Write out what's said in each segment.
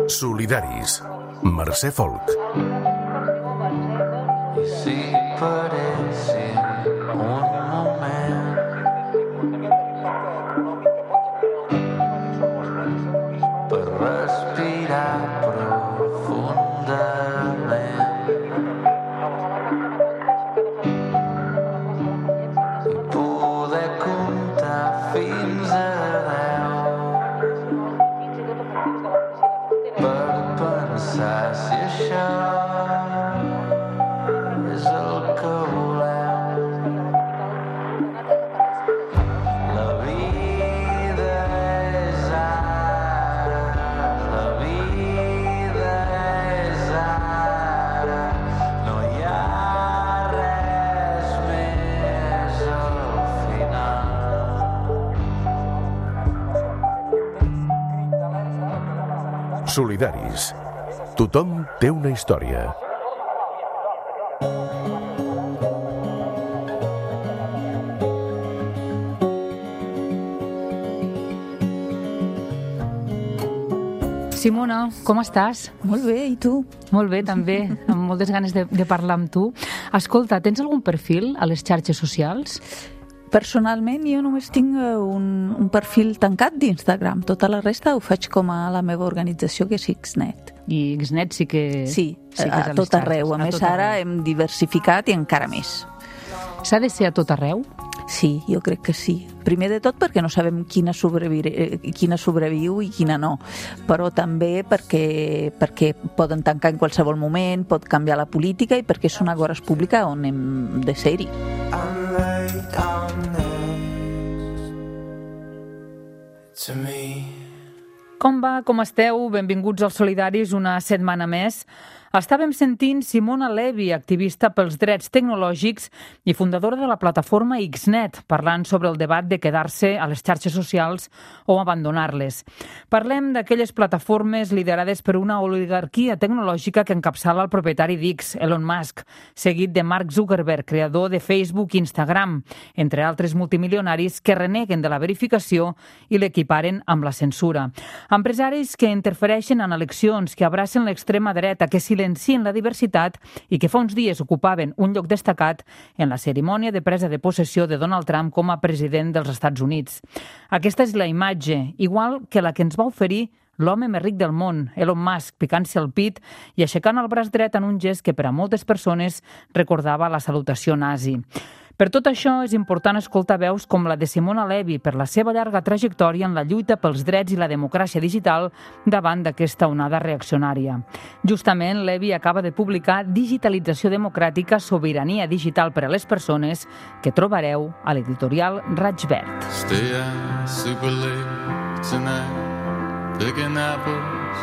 Solidaris. Mercè Folk. I si paressin un moment per respirar profundament i poder comptar fins a 10 per pensar si això és el que volem. La vida és ara, la vida és ara, no hi ha res més al final. Solidaris. Tothom té una història. Simona, com estàs? Molt bé, i tu? Molt bé, també, amb moltes ganes de parlar amb tu. Escolta, tens algun perfil a les xarxes socials? Personalment, jo només tinc un perfil tancat d'Instagram. Tota la resta ho faig com a la meva organització, que és Xnet. I Xnet sí que... Sí, que és a tot arreu. A més, ara hem diversificat i encara més. S'ha de ser a tot arreu? Sí, jo crec que sí. Primer de tot perquè no sabem quina sobreviu i quina no, però també perquè poden tancar en qualsevol moment, pot canviar la política i perquè és una agora pública on hem de ser-hi. Com va? Com esteu? Benvinguts als Solidaris una setmana més. Estàvem sentint Simona Levi, activista pels drets tecnològics i fundadora de la plataforma Xnet, parlant sobre el debat de quedar-se a les xarxes socials o abandonar-les. Parlem d'aquelles plataformes liderades per una oligarquia tecnològica que encapçala el propietari d'X, Elon Musk, seguit de Mark Zuckerberg, creador de Facebook i Instagram, entre altres multimilionaris que reneguen de la verificació i l'equiparen amb la censura. Empresaris que interfereixen en eleccions, que abracen l'extrema dreta, que silencien la diversitat i que fa uns dies ocupaven un lloc destacat en la cerimònia de presa de possessió de Donald Trump com a president dels Estats Units. Aquesta és la imatge, igual que la que ens va oferir l'home més ric del món, Elon Musk, picant-se el pit i aixecant el braç dret en un gest que per a moltes persones recordava la salutació nazi. Per tot això, és important escoltar veus com la de Simona Levi per la seva llarga trajectòria en la lluita pels drets i la democràcia digital davant d'aquesta onada reaccionària. Justament, Levi acaba de publicar Digitalització democràtica, sobirania digital per a les persones, que trobareu a l'editorial Raig Verd. Stay out super late tonight, picking apples,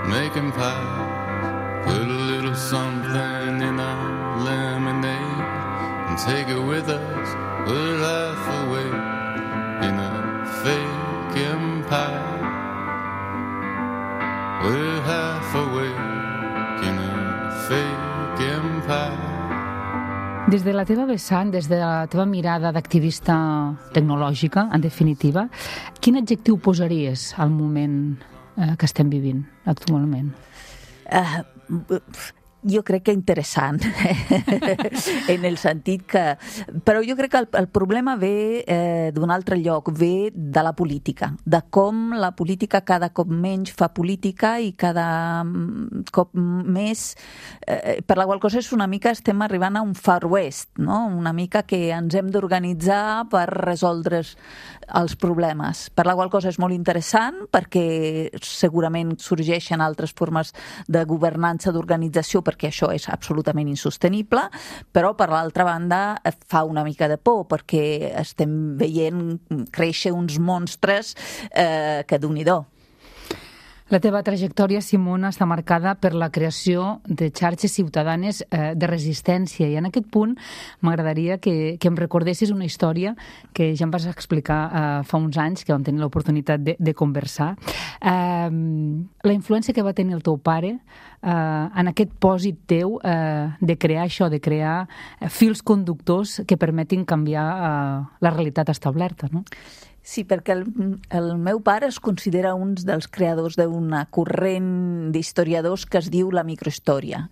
making pies, put a little something in our lemonade. And take it with us, we're half awake in a fake empire. We're half awake in a fake empire. Des de la teva vessant, des de la teva mirada d'activista tecnològica, en definitiva, quin adjectiu posaries al moment que estem vivint actualment? Jo crec que interessant, en el sentit que... Però jo crec que el problema ve d'un altre lloc, ve de la política, de com la política cada cop menys fa política i cada cop més... Per la qual cosa és una mica estem arribant a un Far West, no? Una mica que ens hem d'organitzar per resoldre els problemes. Per la qual cosa és molt interessant perquè segurament sorgeixen altres formes de governança, d'organització, perquè això és absolutament insostenible, però per l'altra banda fa una mica de por perquè estem veient créixer uns monstres que Déu-n'hi-do. La teva trajectòria, Simona, està marcada per la creació de xarxes ciutadanes de resistència, i en aquest punt m'agradaria que em recordessis una història que ja em vas explicar fa uns anys, que vam tenir l'oportunitat de conversar. La influència que va tenir el teu pare en aquest pòsit teu de crear això, de crear fils conductors que permetin canviar la realitat establerta, no? Sí, perquè el meu pare es considera un dels creadors d'una corrent d'historiadors que es diu la microhistòria,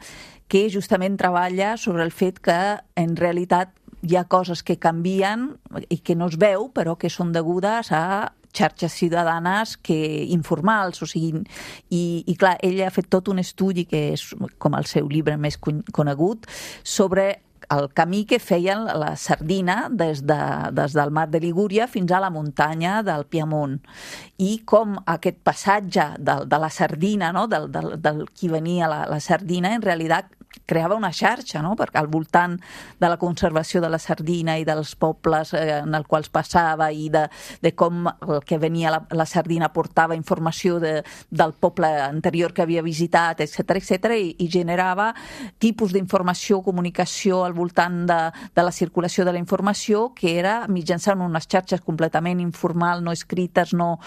que justament treballa sobre el fet que en realitat hi ha coses que canvien i que no es veu, però que són degudes a xarxes ciutadanes informals, o sigui, i clar, ell ha fet tot un estudi que és com el seu llibre més conegut sobre el camí que feien la sardina des del mar de Ligúria fins a la muntanya del Piemont, i com aquest passatge de la sardina, no? del qui venia la sardina, en realitat creava una xarxa, no? Perquè al voltant de la conservació de la sardina i dels pobles en els quals passava, i de com el que venia la sardina portava informació del poble anterior que havia visitat, etc., i generava tipus d'informació, comunicació al voltant de la circulació de la informació, que era mitjançant unes xarxes completament informal, no escrites, no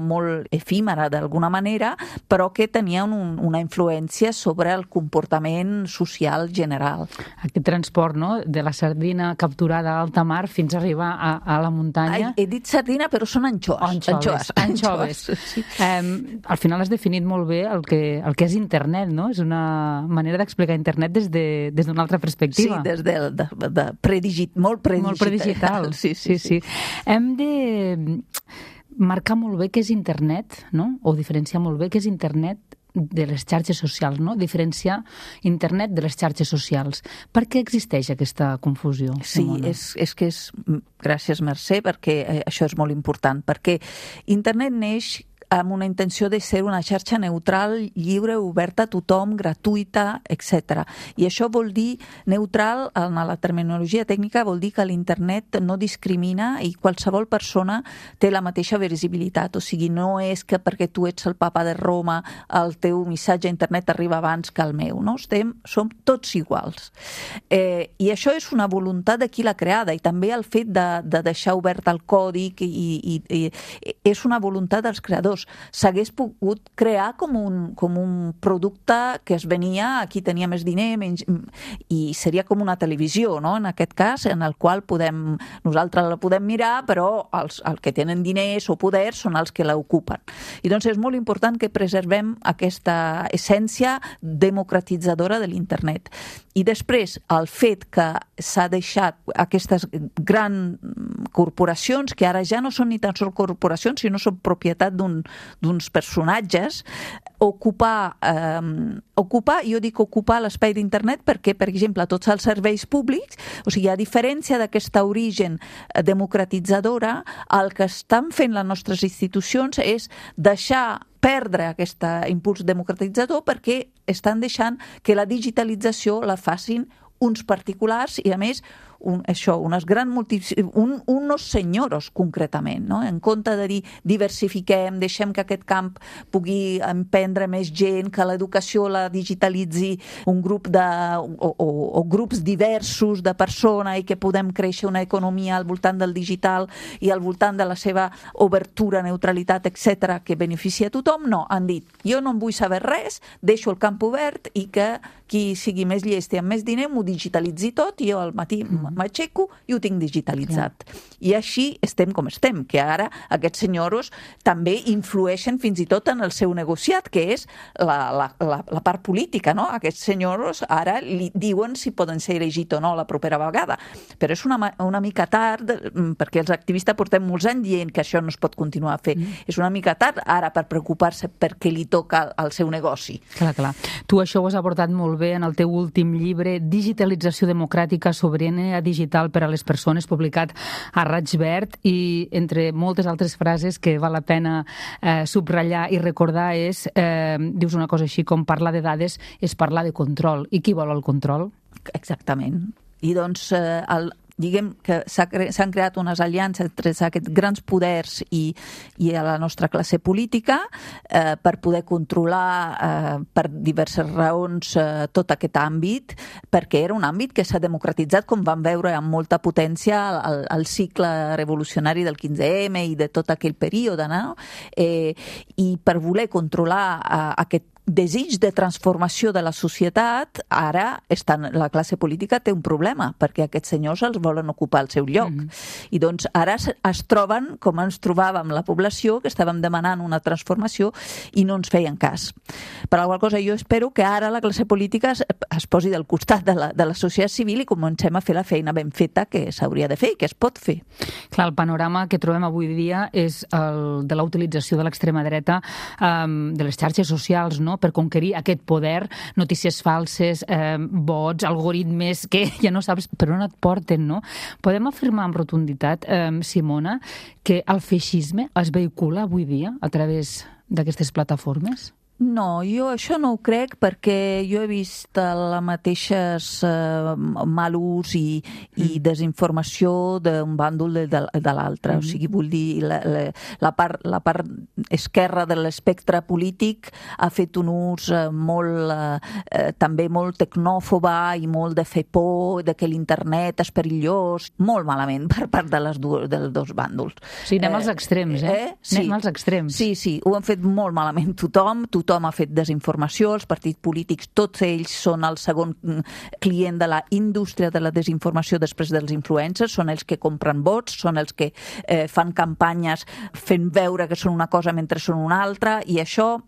molt efímera d'alguna manera, però que tenien una influència sobre el comportament social general. Aquest transport, no?, de la sardina capturada a alta mar fins a arribar a la muntanya. He dit sardina, però són anxoves. Anxoves. Sí. Al final has definit molt bé el que és internet, no? És una manera d'explicar internet des d'una altra perspectiva. Sí, des de molt predigital. Sí. Hem de marcar molt bé què és internet, no? O diferenciar molt bé què és internet de les xarxes socials, no? Diferenciar internet de les xarxes socials. Per què existeix aquesta confusió, Simona? Sí, és que és... Gràcies, Mercè, perquè això és molt important, perquè internet neix amb una intenció de ser una xarxa neutral, lliure, oberta a tothom, gratuïta, etc. I això vol dir neutral, en la terminologia tècnica, vol dir que l'internet no discrimina i qualsevol persona té la mateixa visibilitat. O sigui, no és que perquè tu ets el papa de Roma el teu missatge a internet arriba abans que el meu, no? Som tots iguals. I això és una voluntat de qui l'ha creada, i també el fet de deixar obert el còdic i és una voluntat dels creadors. S'hagués pogut crear com un producte que es venia a qui tenia més diner, i seria com una televisió, no? En aquest cas, en el qual nosaltres la podem mirar, però els que tenen diners o poder són els que l'ocupen. I doncs és molt important que preservem aquesta essència democratitzadora de l'internet. I després, el fet que s'ha deixat aquestes grans corporacions, que ara ja no són ni tan sols corporacions, sinó són propietat d'uns personatges, ocupar l'espai d'internet, perquè, per exemple, tots els serveis públics, o sigui, a diferència d'aquesta origen democratitzadora, el que estan fent les nostres institucions és deixar perdre aquest impuls democratitzador, perquè estan deixant que la digitalització la facin uns particulars i, a més, unos senyoros, concretament, no? En compte de dir diversifiquem, deixem que aquest camp pugui emprendre més gent, que l'educació la digitalitzi un grup o grups diversos de persones, i que podem créixer una economia al voltant del digital i al voltant de la seva obertura, neutralitat, etc., que beneficia a tothom. No, han dit, jo no en vull saber res, deixo el camp obert i que qui sigui més llest i amb més diner m'ho digitalitzi tot, i jo al matí m'aixeco i ho tinc digitalitzat. I així estem com estem, que ara aquests senyors també influeixen fins i tot en el seu negociat, que és la part política, no? Aquests senyors ara li diuen si poden ser elegits o no la propera vegada. Però és una mica tard, perquè els activistes portem molts anys dient que això no es pot continuar a fer. És una mica tard ara per preocupar-se perquè li toca al seu negoci. Clar. Tu això ho has abordat molt bé en el teu últim llibre, Digitalització democràtica, sobirania digital per a les persones, publicat a Raig Verd, i entre moltes altres frases que val la pena subratllar i recordar dius una cosa així com parlar de dades és parlar de control. I qui vol el control? Exactament. I doncs diguem que s'han creat unes aliances entre aquests grans poders i a la nostra classe política per poder controlar per diverses raons tot aquest àmbit, perquè era un àmbit que s'ha democratitzat, com vam veure, amb molta potència al cicle revolucionari del 15M i de tot aquell període, no? I per voler controlar aquest desig de transformació de la societat, ara la classe política té un problema, perquè aquests senyors els volen ocupar el seu lloc. I doncs ara es troben com ens trobàvem la població, que estàvem demanant una transformació i no ens feien cas. Per alguna cosa jo espero que ara la classe política es posi del costat de la societat civil i comencem a fer la feina ben feta que s'hauria de fer i que es pot fer. Clar, el panorama que trobem avui dia és el de la utilització de l'extrema dreta de les xarxes socials, no?, per conquerir aquest poder, notícies falses, bots, algoritmes que ja no saps per on et porten, no? Podem afirmar amb rotunditat, Simona, que el feixisme es vehicula avui dia a través d'aquestes plataformes? No, jo això no ho crec, perquè jo he vist la mateixes mal ús i desinformació d'un bàndol de l'altre. O sigui, vull dir, la part esquerra de l'espectre polític ha fet un ús també molt tecnòfoba i molt de fer por, de que l'internet és perillós, molt malament per part dels dos bàndols. Sí, anem als extrems, Sí. Anem als extrems. Sí, ho han fet molt malament tothom ha fet desinformació, els partits polítics, tots ells són el segon client de la indústria de la desinformació després dels influencers, són els que compren vots, són els que fan campanyes fent veure que són una cosa mentre són una altra, i això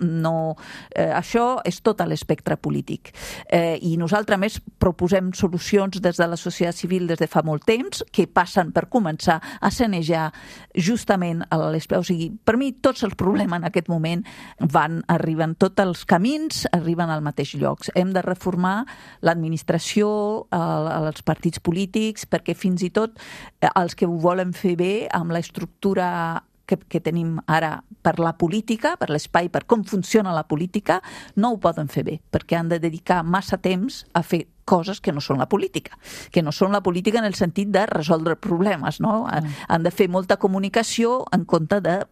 és tot a l'espectre polític. I nosaltres, més, proposem solucions des de la societat civil des de fa molt temps, que passen per començar a sanejar justament o sigui, per mi tots els problemes en aquest moment arriben, tots els camins arriben al mateix lloc. Hem de reformar l'administració, els partits polítics, perquè fins i tot els que ho volen fer bé amb l'estructura que tenim ara per la política, per l'espai, per com funciona la política, no ho poden fer bé, perquè han de dedicar massa temps a fer coses que no són la política, en el sentit de resoldre problemes, no? Han de fer molta comunicació en compte de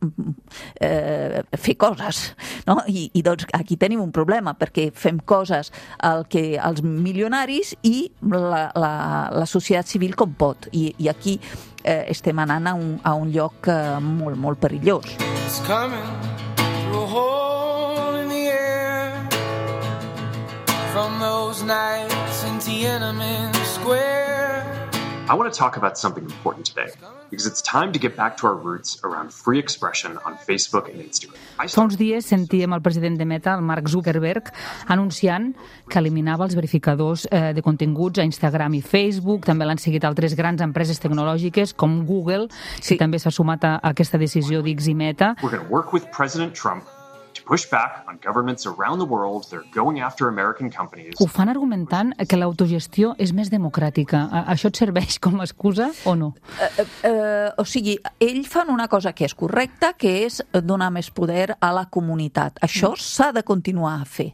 fer coses, no? I doncs aquí tenim un problema, perquè fem coses als milionaris i la societat civil com pot, i aquí estem anant a un lloc molt, molt perillós. It's coming through a hole in the air from those nights in Tiananmen Square. I want to talk about something important today, because it's time to get back to our roots around free expression on Facebook and Instagram. Fa uns dies sentíem el president de Meta, el Mark Zuckerberg, anunciant que eliminava els verificadors de continguts a Instagram i Facebook. També l'han seguit altres grans empreses tecnològiques com Google, que també s'ha sumat a aquesta decisió d'X i Meta. We're going to work with President Trump to push back on governments around the world that are going after American companies. Ho fan argumentant que l'autogestió és més democràtica. Això et serveix com a excusa o no? O sigui, ells fan una cosa que és correcta, que és donar més poder a la comunitat. Això s'ha de continuar a fer.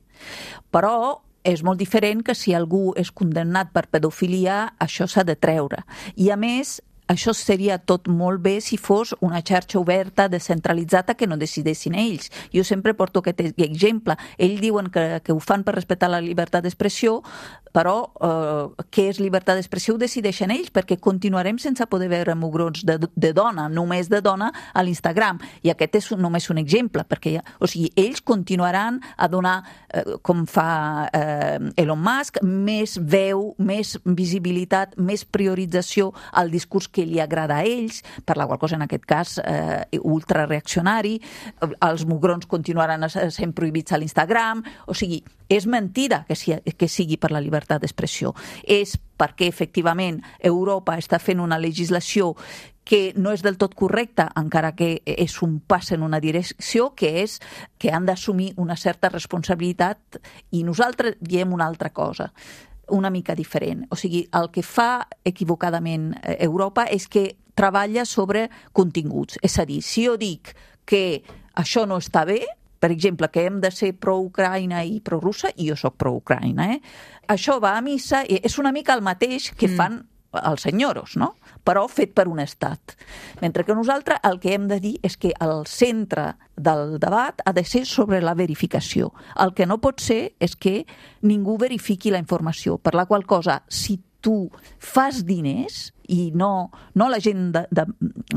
Però és molt diferent que si algú és condemnat per pedofilia, això s'ha de treure. I a més, això seria tot molt bé si fos una xarxa oberta, descentralitzada, que no decidessin ells. Jo sempre porto aquest exemple. Ells diuen que ho fan per respectar la llibertat d'expressió, però què és llibertat d'expressió ho decideixen ells, perquè continuarem sense poder veure mugrons de dona, només de dona, a l'Instagram. I aquest és només un exemple, perquè ells continuaran a donar, com fa Elon Musk, més veu, més visibilitat, més priorització al discurs que li agrada a ells, per la qual cosa en aquest cas ultrareaccionari. Els mugrons continuaran sent prohibits a l'Instagram. O sigui, és mentida que sigui per la llibertat d'expressió. És perquè, efectivament, Europa està fent una legislació que no és del tot correcta, encara que és un pas en una direcció, que és que han d'assumir una certa responsabilitat, i nosaltres diem una altra cosa, una mica diferent. O sigui, el que fa equivocadament Europa és que treballa sobre continguts. És a dir, si jo dic que això no està bé, per exemple, que hem de ser pro-Ucraïna i pro-russa, i jo soc pro-Ucraïna, això va a missa, és una mica el mateix que fan els senyoros, no? Però fet per un estat. Mentre que nosaltres el que hem de dir és que el centre del debat ha de ser sobre la verificació. El que no pot ser és que ningú verifiqui la informació, per la qual cosa, si tu fas diners, i no la gent de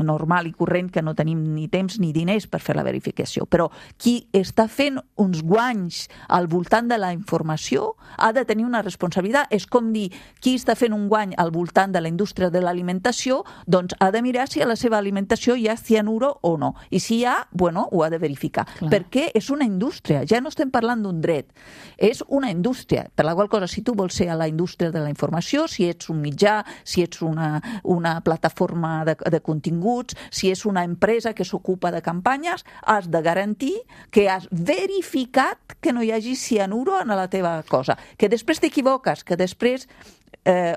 normal i corrent que no tenim ni temps ni diners per fer la verificació, però qui està fent uns guanys al voltant de la informació ha de tenir una responsabilitat. És com dir, qui està fent un guany al voltant de la indústria de l'alimentació, doncs ha de mirar si a la seva alimentació hi ha cianuro o no, i si hi ha, bueno, ho ha de verificar. Clar. Perquè és una indústria, ja no estem parlant d'un dret, és una indústria, per la qual cosa, si tu vols ser a la indústria de la informació, si ets un mitjà, si ets una plataforma de continguts, si és una empresa que s'ocupa de campanyes, has de garantir que has verificat que no hi hagi cianuro en la teva cosa. Que després t'equivoques, que després...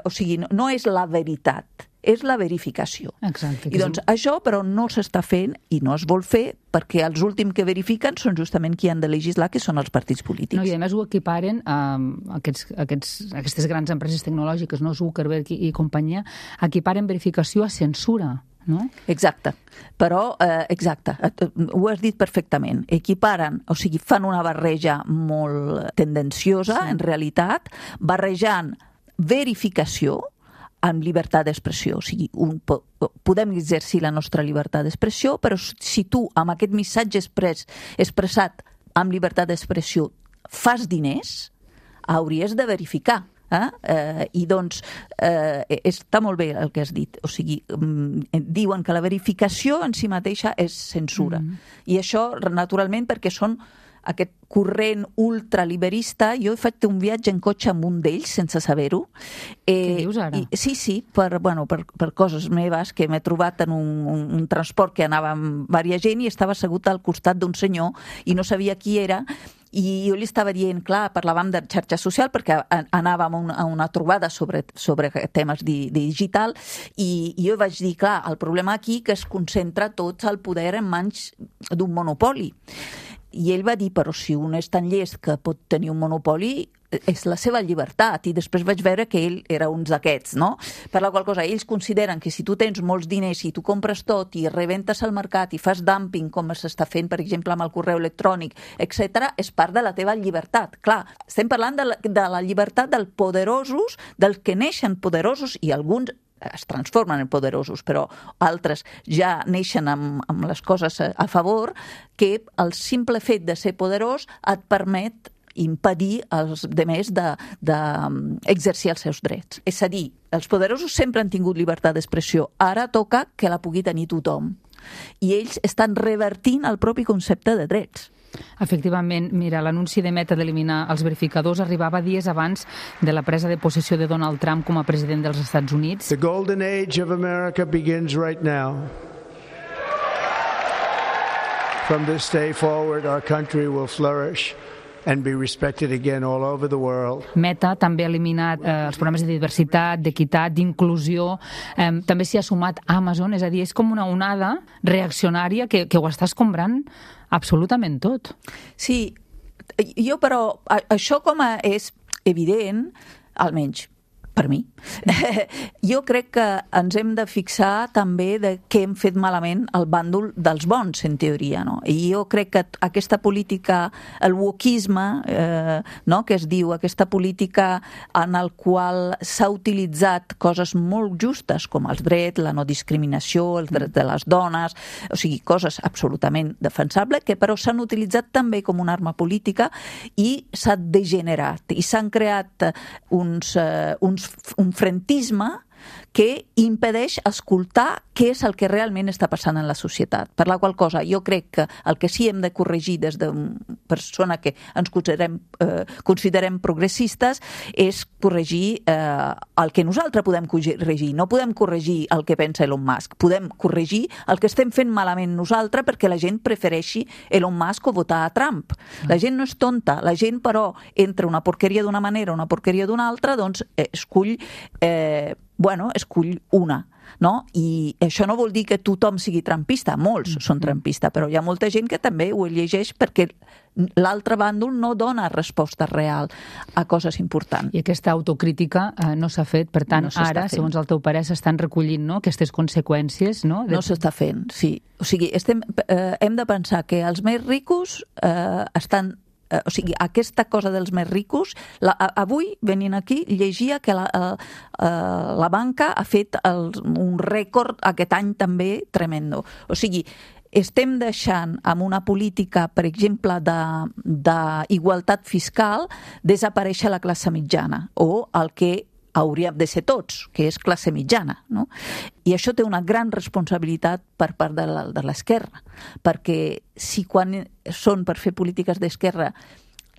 o sigui, no és la veritat, és la verificació. Exacte. I doncs això, però, no s'està fent i no es vol fer perquè els últims que verifiquen són justament qui han de legislar, que són els partits polítics. No, i a més ho equiparen a aquestes grans empreses tecnològiques, no? Zuckerberg i companyia, equiparen verificació a censura. No? Exacte, però exacte, ho has dit perfectament, equiparen, o sigui, fan una barreja molt tendenciosa, sí. En realitat, barrejant verificació amb llibertat d'expressió. O sigui, podem exercir la nostra llibertat d'expressió, però si tu, amb aquest missatge expressat amb llibertat d'expressió, fas diners, hauries de verificar. I doncs està molt bé el que has dit. O sigui, diuen que la verificació en si mateixa és censura. I això, naturalment, perquè són aquest corrent ultraliberista. Jo he fet un viatge en cotxe amb un d'ells sense saber-ho. Què dius ara? Sí, per coses meves, que m'he trobat en un transport que anava amb diversa gent i estava assegut al costat d'un senyor i no sabia qui era. I jo li estava dient, clar, parlàvem de xarxa social perquè anàvem a una trobada sobre temes digital i jo vaig dir, clar, el problema aquí que es concentra tot el poder en mans d'un monopoli. I ell va dir, però si un és tan llest que pot tenir un monopoli, és la seva llibertat. I després vaig veure que ell era un d'aquests, no? Per la qual cosa, ells consideren que si tu tens molts diners i tu compres tot i rebentes al mercat i fas dumping, com s'està fent, per exemple, amb el correu electrònic, etc., és part de la teva llibertat. Clar, estem parlant de la llibertat dels poderosos, dels que neixen poderosos, i alguns es transformen en poderosos, però altres ja neixen amb les coses a favor, que el simple fet de ser poderós et permet impedir als demés d'exercir els seus drets. És a dir, els poderosos sempre han tingut llibertat d'expressió, ara toca que la pugui tenir tothom. I ells estan revertint el propi concepte de drets. Efectivament, mira, l'anunci de Meta d'eliminar els verificadors arribava dies abans de la presa de possessió de Donald Trump com a president dels Estats Units. The golden age of America begins right now. From this day forward, our country will flourish and be respected again all over the world. Meta també ha eliminat els programes de diversitat, d'equitat, d'inclusió. També s'hi ha sumat Amazon, és a dir, és com una onada reaccionària que ho està escombrant absolutament tot. Sí, però això com és evident, almenys per mi, jo crec que ens hem de fixar també de què hem fet malament el bàndol dels bons, en teoria, no? I jo crec que aquesta política, el wokisme, no?, que es diu, aquesta política en el qual s'ha utilitzat coses molt justes com els drets, la no discriminació, els drets de les dones, o sigui, coses absolutament defensables, que però s'han utilitzat també com una arma política i s'ha degenerat i s'han creat un frentisme que impedeix escoltar què és el que realment està passant en la societat. Per la qual cosa, jo crec que el que sí hem de corregir des d'una persona que ens considerem progressistes és corregir el que nosaltres podem corregir. No podem corregir el que pensa Elon Musk. Podem corregir el que estem fent malament nosaltres perquè la gent prefereixi Elon Musk o votar a Trump. La gent no és tonta. La gent, però, entre una porqueria d'una manera o una porqueria d'una altra, doncs escull una. no? I això no vol dir que tothom sigui trampista, molts són trampistes, però hi ha molta gent que també ho llegeix perquè l'altre bàndol no dona resposta real a coses importants. I aquesta autocrítica no s'ha fet, per tant, ara, segons el teu parer, s'estan recollint, no?, aquestes conseqüències, no? No s'està fent, sí. O sigui, hem de pensar que els més ricos estan... O sigui, aquesta cosa dels més ricos, avui, venint aquí, llegia que la banca ha fet un rècord aquest any també tremendo. O sigui, estem deixant amb una política, per exemple, d'igualtat fiscal, desaparèixer la classe mitjana, o el que hauríem de ser tots, que és classe mitjana, no? I això té una gran responsabilitat per part de l'esquerra, perquè si quan són per fer polítiques d'esquerra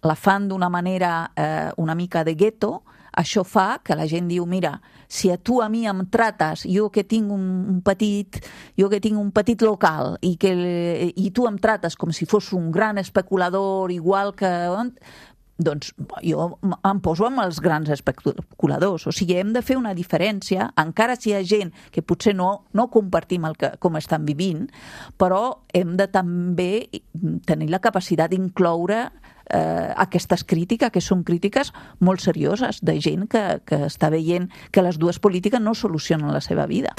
la fan d'una manera una mica de gueto, això fa que la gent diu, mira, si tu a mi em trates, jo que tinc un petit local i tu em trates com si fos un gran especulador igual que... doncs jo em poso amb els grans especuladors. O sigui, hem de fer una diferència, encara si hi ha gent que potser no compartim com estan vivint, però hem de també tenir la capacitat d'incloure aquestes crítiques, que són crítiques molt serioses, de gent que està veient que les dues polítiques no solucionen la seva vida.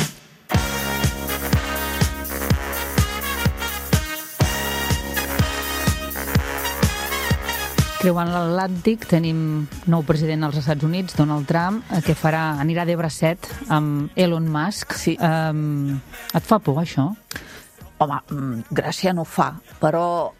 Creuant l'Atlàntic tenim nou president als Estats Units, Donald Trump, que anirà de bracet amb Elon Musk. Sí. Et fa por, això? Home, gràcia no fa, però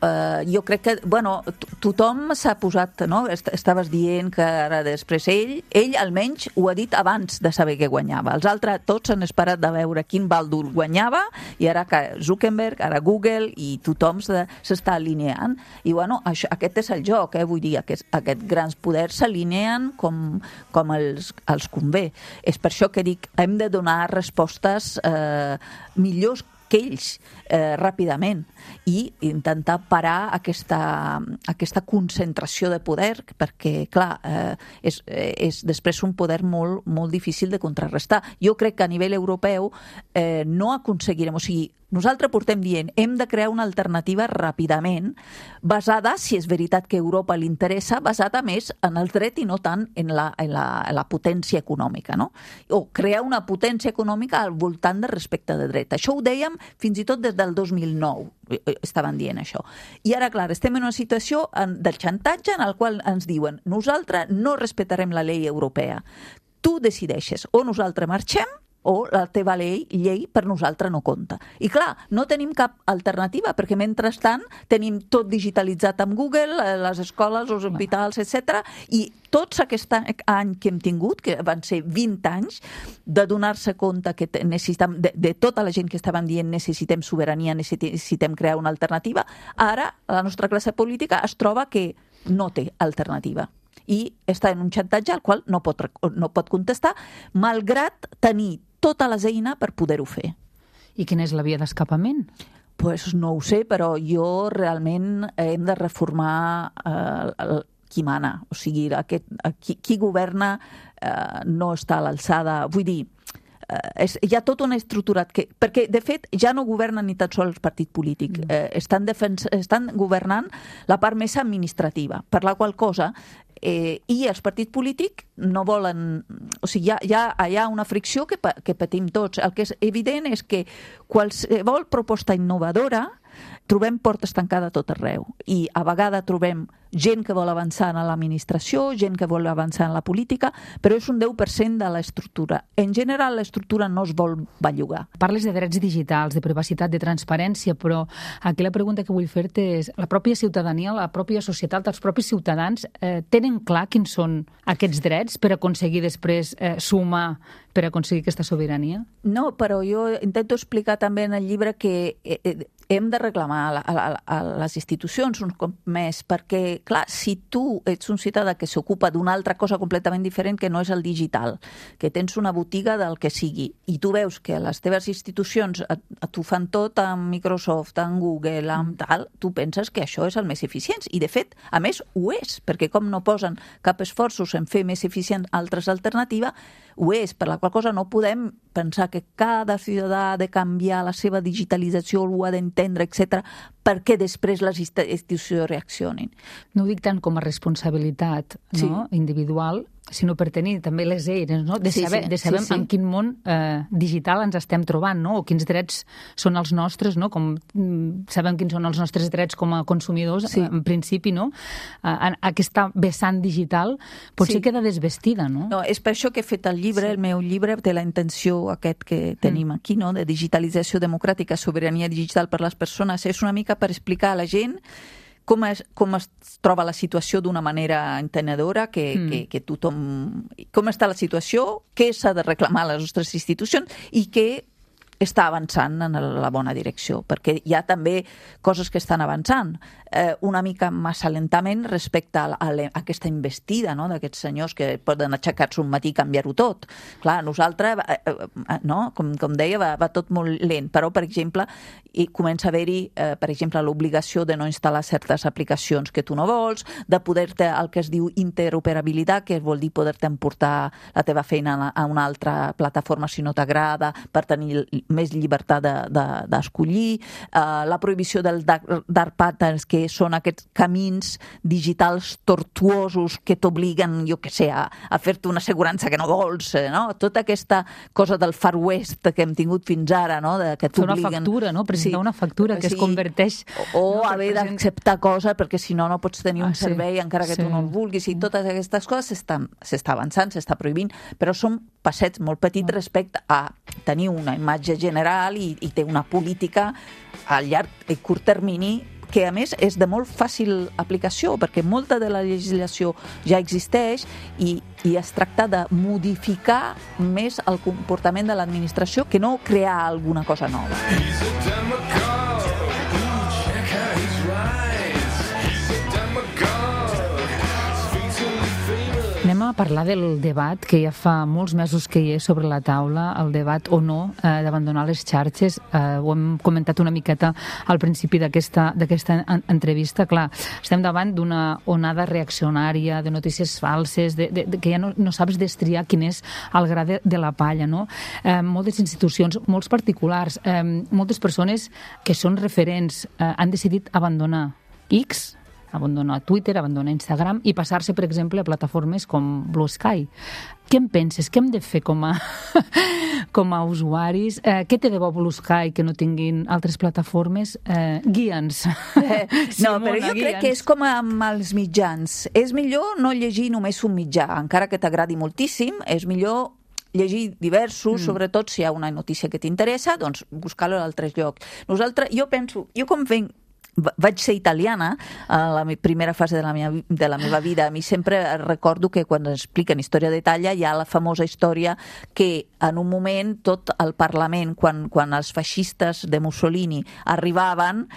jo crec que, bueno, tothom s'ha posat, no? Estaves dient que ara després ell almenys ho ha dit abans de saber què guanyava. Els altres tots han esperat de veure quin bàndol guanyava i ara que Zuckerberg, ara Google i tothom s'està alineant. I bueno, aquest és el joc, vull dir, aquests grans poders s'alineen com els convé. És per això que dic, hem de donar respostes millors que ells ràpidament i intentar parar aquesta concentració de poder, perquè, clar, és després un poder molt, molt difícil de contrarrestar. Jo crec que a nivell europeu no aconseguirem, o sigui, nosaltres portem dient, hem de crear una alternativa ràpidament, basada, si és veritat que a Europa li interessa, basada més en el dret i no tant en la potència econòmica, no? O crear una potència econòmica al voltant de respecte de dret. Això ho dèiem fins i tot des del 2009, estaven dient això. I ara, clar, estem en una situació del xantatge en el qual ens diuen nosaltres no respectarem la llei europea. Tu decideixes o nosaltres marxem o la teva llei per nosaltres no compta. I clar, no tenim cap alternativa, perquè mentrestant tenim tot digitalitzat amb Google, les escoles, els hospitals, etc. I tots aquest any que hem tingut, que van ser 20 anys, de donar-se compte que necessitem, de tota la gent que estaven dient necessitem sobirania, necessitem crear una alternativa, ara la nostra classe política es troba que no té alternativa i està en un xantatge al qual no pot contestar, malgrat tenir totes les eines per poder-ho fer. I quina és la via d'escapament? Pues no ho sé, però jo realment hem de reformar qui mana. O sigui, qui governa no està a l'alçada. Vull dir, hi ha tota una estructura perquè de fet ja no governen ni tan sols el partit polític, estan governant la part més administrativa, per la qual cosa i els partits polítics no volen, o sigui, hi ha una fricció que patim tots. El que és evident és que qualsevol proposta innovadora trobem portes tancades a tot arreu i a vegades trobem gent que vol avançar en l'administració, gent que vol avançar en la política, però és un 10% de l'estructura. En general, l'estructura no es vol bellugar. Parles de drets digitals, de privacitat, de transparència, però aquí la pregunta que vull fer-te és la pròpia ciutadania, la pròpia societat, els propis ciutadans tenen clar quins són aquests drets per aconseguir després sumar per aconseguir aquesta sobirania? No, però jo intento explicar també en el llibre que hem de reclamar a les institucions un cop més, perquè, clar, si tu ets un ciutadà que s'ocupa d'una altra cosa completament diferent que no és el digital, que tens una botiga del que sigui, i tu veus que les teves institucions t'ho fan tot amb Microsoft, amb Google, amb tal, tu penses que això és el més eficient. I, de fet, a més, ho és, perquè com no posen cap esforços en fer més eficient altres alternatives, ho és, per la qual cosa no podem pensar que cada ciutadà ha de canviar la seva digitalització, ho ha d'entendre, etc, perquè després les institucions reaccionin. No ho dic tant com a responsabilitat, no? Individual, sinó per tenir també les eines, no? de saber en quin món digital ens estem trobant, no? O quins drets són els nostres, no? Com sabem quins són els nostres drets com a consumidors, en principi, no? Aquesta vessant digital potser queda desvestida, no? No, és per això que he fet el llibre, el meu llibre, de la intenció aquest que tenim aquí, no? De digitalització democràtica, sobirania digital per les persones. És una mica per explicar a la gent com es troba la situació d'una manera entenedora, que tothom... Com està la situació, què s'ha de reclamar a les nostres institucions i què està avançant en la bona direcció, perquè hi ha també coses que estan avançant una mica massa lentament respecte a aquesta investida, no? D'aquests senyors que poden aixecar-se un matí i canviar-ho tot. Clar, nosaltres, no? Com deia, va tot molt lent, però, per exemple, comença a haver-hi, per exemple, l'obligació de no instal·lar certes aplicacions que tu no vols, de poder-te, el que es diu interoperabilitat, que vol dir poder-te emportar la teva feina a una altra plataforma si no t'agrada, per tenir més llibertat d'escollir, la prohibició del dark patterns, que són aquests camins digitals tortuosos que t'obliguen, jo què sé, a fer-te una assegurança que no vols, no? Tota aquesta cosa del Far West que hem tingut fins ara, no? Que t'obliguen... Fer una factura, no? Presentar una factura que es converteix... O haver d'acceptar coses perquè si no, no pots tenir un servei encara que tu no el vulguis, i totes aquestes coses s'està avançant, s'està prohibint, però són passets molt petits respecte a tenir una imatge general i té una política a llarg i curt termini que, a més, és de molt fàcil aplicació, perquè molta de la legislació ja existeix i es tracta de modificar més el comportament de l'administració que no crear alguna cosa nova. Anem a parlar del debat que ja fa molts mesos que hi és sobre la taula, el debat o no d'abandonar les xarxes. Ho hem comentat una miqueta al principi d'aquesta entrevista. Clar, estem davant d'una onada reaccionària, de notícies falses, que ja no saps destriar quin és el gra de la palla, no? Moltes institucions, molts particulars, moltes persones que són referents han decidit abandonar X, abandonar Twitter, abandonar Instagram i passar-se, per exemple, a plataformes com Blue Sky. Què en penses? Què hem de fer com a usuaris? Què té de bo Blue Sky que no tinguin altres plataformes? Guia'ns. No, però jo crec que és com amb els mitjans. És millor no llegir només un mitjà, encara que t'agradi moltíssim, és millor llegir diversos, sobretot si hi ha una notícia que t'interessa, doncs buscar-lo a altres llocs. Jo com vaig ser italiana a la primera fase de la meva vida. A mi sempre recordo que quan expliquen història d'Itàlia hi ha la famosa història que en un moment tot el Parlament, quan els feixistes de Mussolini arribaven,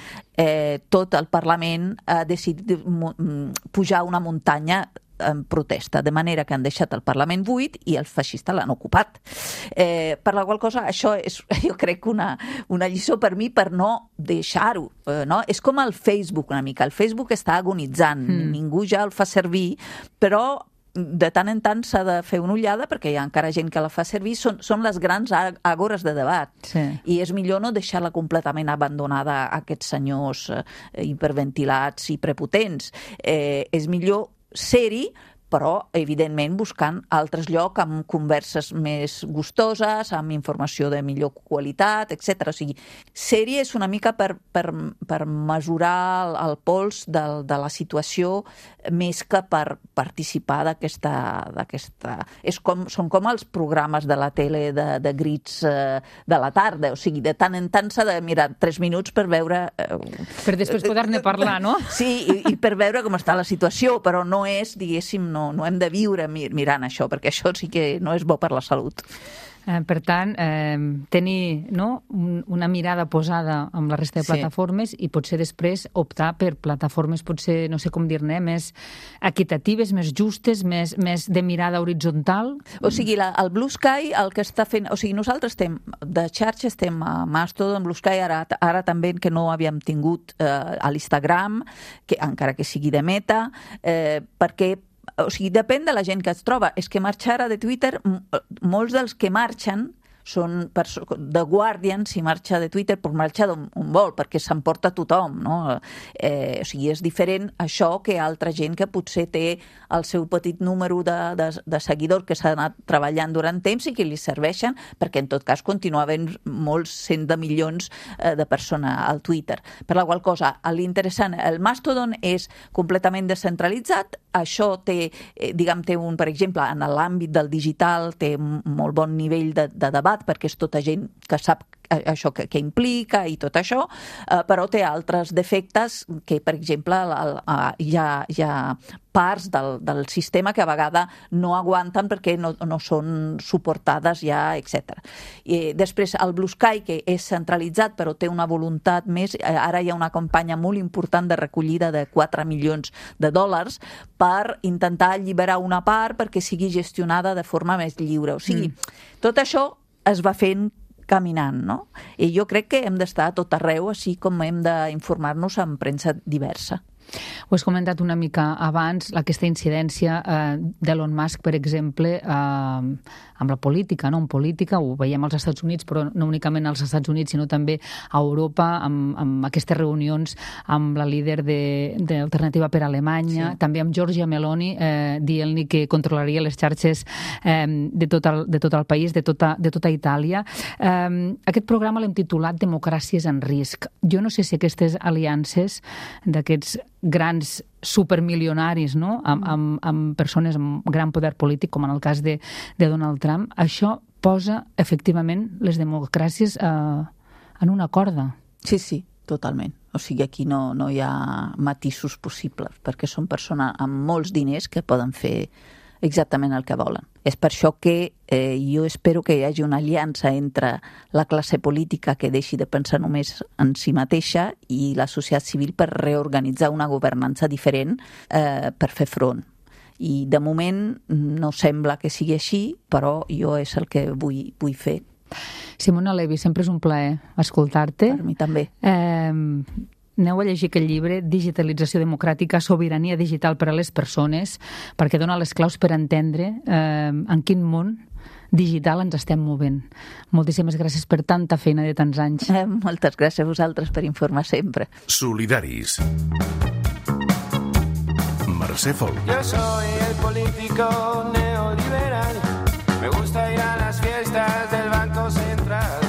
tot el Parlament ha decidit pujar una muntanya en protesta, de manera que han deixat el Parlament buit i els feixistes l'han ocupat. Per la qual cosa, això és, jo crec, una lliçó per mi per no deixar-ho. No? És com el Facebook una mica. El Facebook està agonitzant, ningú ja el fa servir, però de tant en tant s'ha de fer una ullada perquè hi ha encara gent que la fa servir. Són les grans àgores de debat. Sí. I és millor no deixar-la completament abandonada a aquests senyors hiperventilats i prepotents. És millor ser-hi, però, evidentment, buscant altres llocs amb converses més gustoses, amb informació de millor qualitat, etc. O sigui, ser-hi és una mica per mesurar el pols de la situació més que per participar d'aquesta... Són com els programes de la tele de grits de la tarda, o sigui, de tant en tant s'ha de mirar 3 minuts per veure... Per després poder-ne parlar, no? Sí, i per veure com està la situació, però no és, diguéssim, no hem de viure mirant això, perquè això sí que no és bo per la salut. Per tant, tenir una mirada posada amb la resta de plataformes i potser després optar per plataformes, potser, no sé com dir-ne, més equitatives, més justes, més de mirada horitzontal. O sigui, el Blue Sky, el que està fent... O sigui, nosaltres de xarxa estem a Mastodon, Blue Sky, ara també que no havíem tingut a l'Instagram, encara que sigui de Meta, perquè o sigui, depèn de la gent que es troba. És que marxar de Twitter, molts dels que marxen són The Guardian, si marxa de Twitter, pot marxar d'on vol, perquè s'emporta tothom, no? O sigui, és diferent això que altra gent que potser té el seu petit número de seguidors que s'ha anat treballant durant temps i que li serveixen, perquè en tot cas continua havent molts cents de milions de persones al Twitter. Per la qual cosa, l'interessant, el Mastodon és completament descentralitzat, això té, diguem, per exemple, en l'àmbit del digital, té molt bon nivell de debat, perquè és tota gent que sap això que implica i tot això, però té altres defectes que, per exemple, hi ha parts del sistema que a vegades no aguanten perquè no són suportades ja, etc. Després, el Blue Sky, que és centralitzat però té una voluntat més, ara hi ha una campanya molt important de recollida de $4 milions per intentar alliberar una part perquè sigui gestionada de forma més lliure. O sigui, tot això es va fent caminant, no? I jo crec que hem d'estar a tot arreu, així com hem d'informar-nos en premsa diversa. Ho has comentat una mica abans, aquesta incidència d'Elon Musk, per exemple, amb la política, no? En política, ho veiem als Estats Units, però no únicament als Estats Units, sinó també a Europa, amb aquestes reunions amb la líder d'Alternativa per Alemanya, sí. També amb Giorgia Meloni, dient-li que controlaria les xarxes de tot el país, de tota Itàlia. Aquest programa l'hem titulat Democràcies en risc. Jo no sé si aquestes aliances d'aquests grans supermilionaris, no? Amb persones amb gran poder polític, com en el cas de Donald Trump, això posa efectivament les democràcies en una corda. Sí, totalment. O sigui, aquí no hi ha matisos possibles, perquè són persones amb molts diners que poden fer exactament el que volen. És per això que jo espero que hi hagi una aliança entre la classe política que deixi de pensar només en si mateixa i la societat civil per reorganitzar una governança diferent per fer front. I de moment no sembla que sigui així, però jo és el que vull fer. Simona Levi, sempre és un plaer escoltar-te. Per mi també. Aneu a llegir aquest llibre, Digitalització democràtica, sobirania digital per a les persones, perquè dona les claus per entendre en quin món digital ens estem movent. Moltíssimes gràcies per tanta feina de tants anys. Moltes gràcies a vosaltres per informar sempre. Solidaris. Mercè Folk. Yo soy el político neoliberal. Me gusta ir a las fiestas del Banco Central.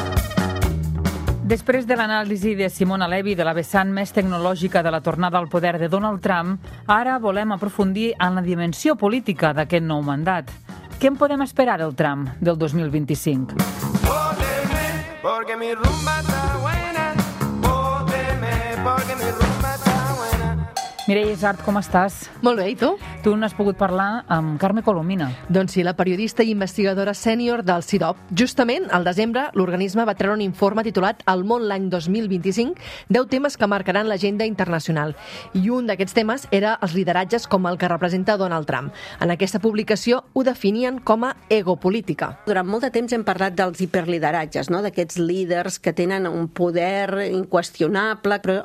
Després de l'anàlisi de Simona Levi de la vessant més tecnològica de la tornada al poder de Donald Trump, ara volem aprofundir en la dimensió política d'aquest nou mandat. Què en podem esperar del Trump del 2025? Vóteme, porque mi rumba está buena. Vóteme, porque mi rumba está buena. Mireia Isart, com estàs? Molt bé, i tu? Tu n'has pogut parlar amb Carme Colomina. Doncs sí, la periodista i investigadora sènior del CIDOB. Justament, al desembre, l'organisme va treure un informe titulat El món l'any 2025, 10 temes que marcaran l'agenda internacional. I un d'aquests temes era els lideratges com el que representa Donald Trump. En aquesta publicació ho definien com a egopolítica. Durant molt de temps hem parlat dels hiperlideratges, no? D'aquests líders que tenen un poder inqüestionable, però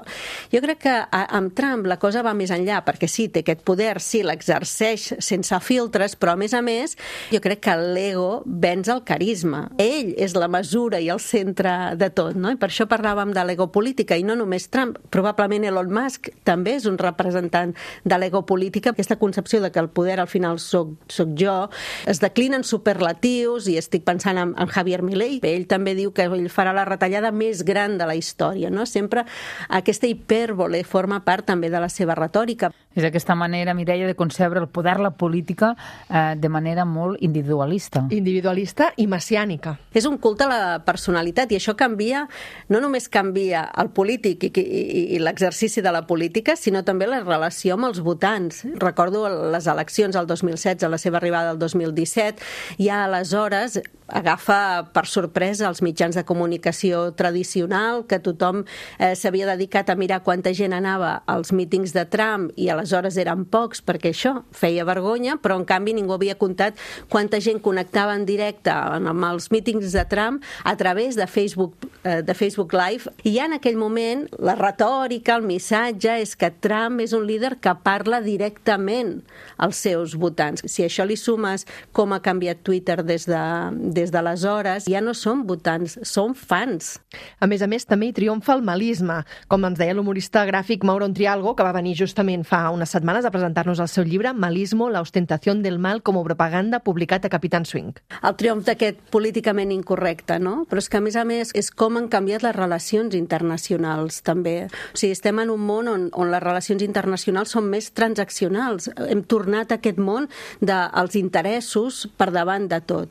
jo crec que amb Trump la cosa va més enllà, perquè sí, té aquest poder, sí, l'exerceix sense filtres, però a més, jo crec que l'ego venç el carisma. Ell és la mesura i el centre de tot, no? I per això parlàvem de l'egopolítica, i no només Trump, probablement Elon Musk també és un representant de l'egopolítica. Aquesta concepció de que el poder al final soc jo, es declina en superlatius, i estic pensant en Javier Milei. Ell també diu que ell farà la retallada més gran de la història, no? Sempre aquesta hipèrbole forma part també de la seva retòrica. És aquesta manera, Mireia, de concebre el poder, la política, de manera molt individualista. Individualista i messiànica. És un culte a la personalitat, i això canvia, no només canvia el polític i l'exercici de la política, sinó també la relació amb els votants. Recordo les eleccions al 2016, a la seva arribada al 2017, ja aleshores agafa per sorpresa els mitjans de comunicació tradicional, que tothom s'havia dedicat a mirar quanta gent anava als mítings de Trump, i aleshores eren pocs, perquè això feia vergonya, però en canvi ningú havia comptat quanta gent connectava en directe amb els mítings de Trump a través de Facebook de Facebook Live, i ja en aquell moment la retòrica, el missatge és que Trump és un líder que parla directament als seus votants. Si això li sumes com ha canviat Twitter des d'aleshores, ja no són votants, són fans. A més, també hi triomfa el malisme, com ens deia l'humorista gràfic Mauro Ontrialgo, que va venir justament fa unes setmanes a presentar-nos el seu llibre Malismo, la ostentación del mal como propaganda, publicat a Capitán Swing. El triomf d'aquest políticament incorrecte, no? Però és que, a més, és com han canviat les relacions internacionals, també. O sigui, estem en un món on les relacions internacionals són més transaccionals. Hem tornat a aquest món dels interessos per davant de tot.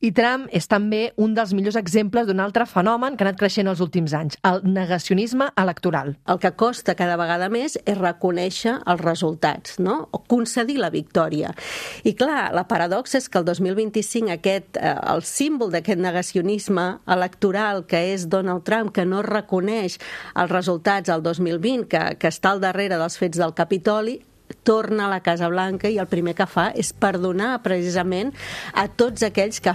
I Trump és també un dels millors exemples d'un altre fenomen que ha anat creixent els últims anys, el negacionisme electoral. El que costa cada vegada més és reconèixer els resultats, no? O concedir la victòria. I clar, la paradoxa és que el 2025 el símbol d'aquest negacionisme electoral que és Donald Trump, que no reconeix els resultats del 2020, que està al darrere dels fets del Capitoli, torna a la Casa Blanca i el primer que fa és perdonar precisament a tots aquells que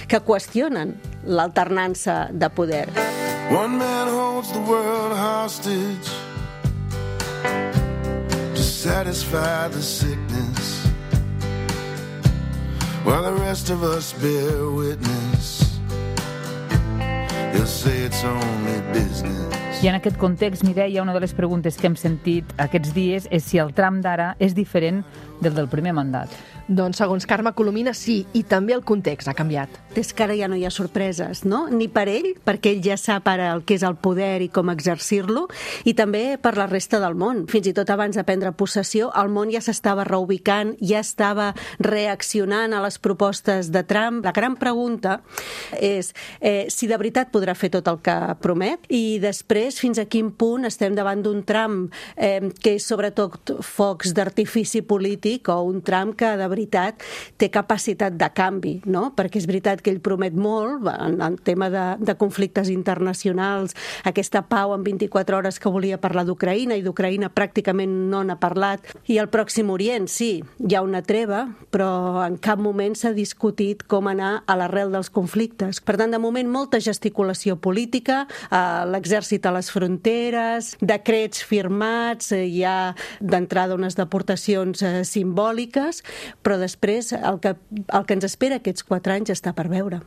que qüestionen l'alternança de poder. One man holds the world hostage to satisfy the sickness while the rest of us bear witness. They'll say it's only business. I en aquest context, Mireia, una de les preguntes que hem sentit aquests dies és si el Trump d'ara és diferent del primer mandat. Doncs, segons Carme Colomina, sí, i també el context ha canviat. És que ara ja no hi ha sorpreses, no? Ni per ell, perquè ell ja sap ara el que és el poder i com exercir-lo, i també per la resta del món. Fins i tot abans de prendre possessió, el món ja s'estava reubicant, ja estava reaccionant a les propostes de Trump. La gran pregunta és si de veritat podrà fer tot el que promet, i després fins a quin punt estem davant d'un Trump que és sobretot focs d'artifici polític, o un Trump que de veritat té capacitat de canvi, no? Perquè és veritat que ell promet molt en tema de conflictes internacionals, aquesta pau en 24 hores que volia parlar d'Ucraïna, i d'Ucraïna pràcticament no n'ha parlat. I al Pròxim Orient, sí, hi ha una treva, però en cap moment s'ha discutit com anar a l'arrel dels conflictes. Per tant, de moment, molta gesticulació política, l'exèrcit a les fronteres, decrets firmats, hi ha d'entrada unes deportacions simbòliques, però després el que ens espera aquests 4 anys està per veure.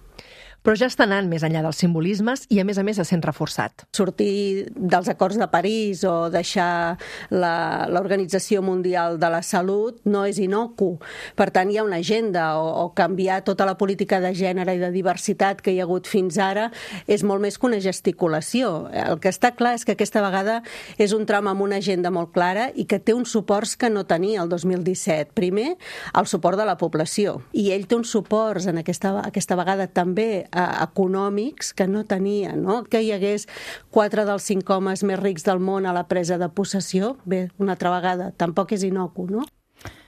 Però ja està anant més enllà dels simbolismes i, a més, se sent reforçat. Sortir dels acords de París o deixar l'Organització Mundial de la Salut no és inocu. Per tant, hi ha una agenda, o canviar tota la política de gènere i de diversitat que hi ha hagut fins ara és molt més que una gesticulació. El que està clar és que aquesta vegada és un Trump amb una agenda molt clara i que té uns suports que no tenia el 2017. Primer, el suport de la població. I ell té uns suports en aquesta vegada també econòmics que no tenia, no? Que hi hagués 4 dels 5 homes més rics del món a la presa de possessió, bé, una altra vegada, tampoc és inocu, no?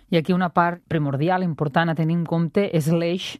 I aquí una part primordial, important a tenir en compte, és l'eix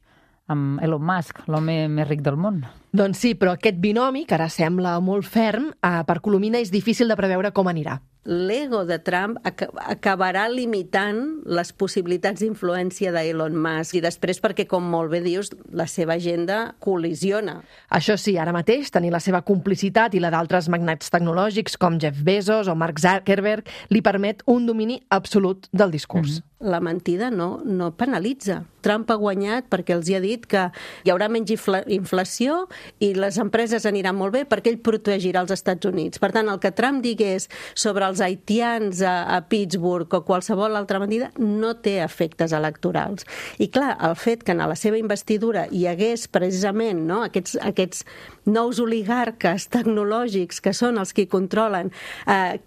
amb Elon Musk, l'home més ric del món. Doncs sí, però aquest binomi, que ara sembla molt ferm, per Colomina és difícil de preveure com anirà. L'ego de Trump acabarà limitant les possibilitats d'influència d'Elon Musk, i després perquè, com molt bé dius, la seva agenda col·lisiona. Això sí, ara mateix tenir la seva complicitat i la d'altres magnats tecnològics com Jeff Bezos o Mark Zuckerberg li permet un domini absolut del discurs. La mentida no penalitza. Trump ha guanyat perquè els ha dit que hi haurà menys inflació i les empreses aniran molt bé perquè ell protegirà els Estats Units. Per tant, el que Trump digués sobre els haitians a Pittsburgh o qualsevol altra mentida no té efectes electorals. I clar, el fet que en la seva investidura hi hagués precisament, no, aquests nous oligarques tecnològics que són els que controlen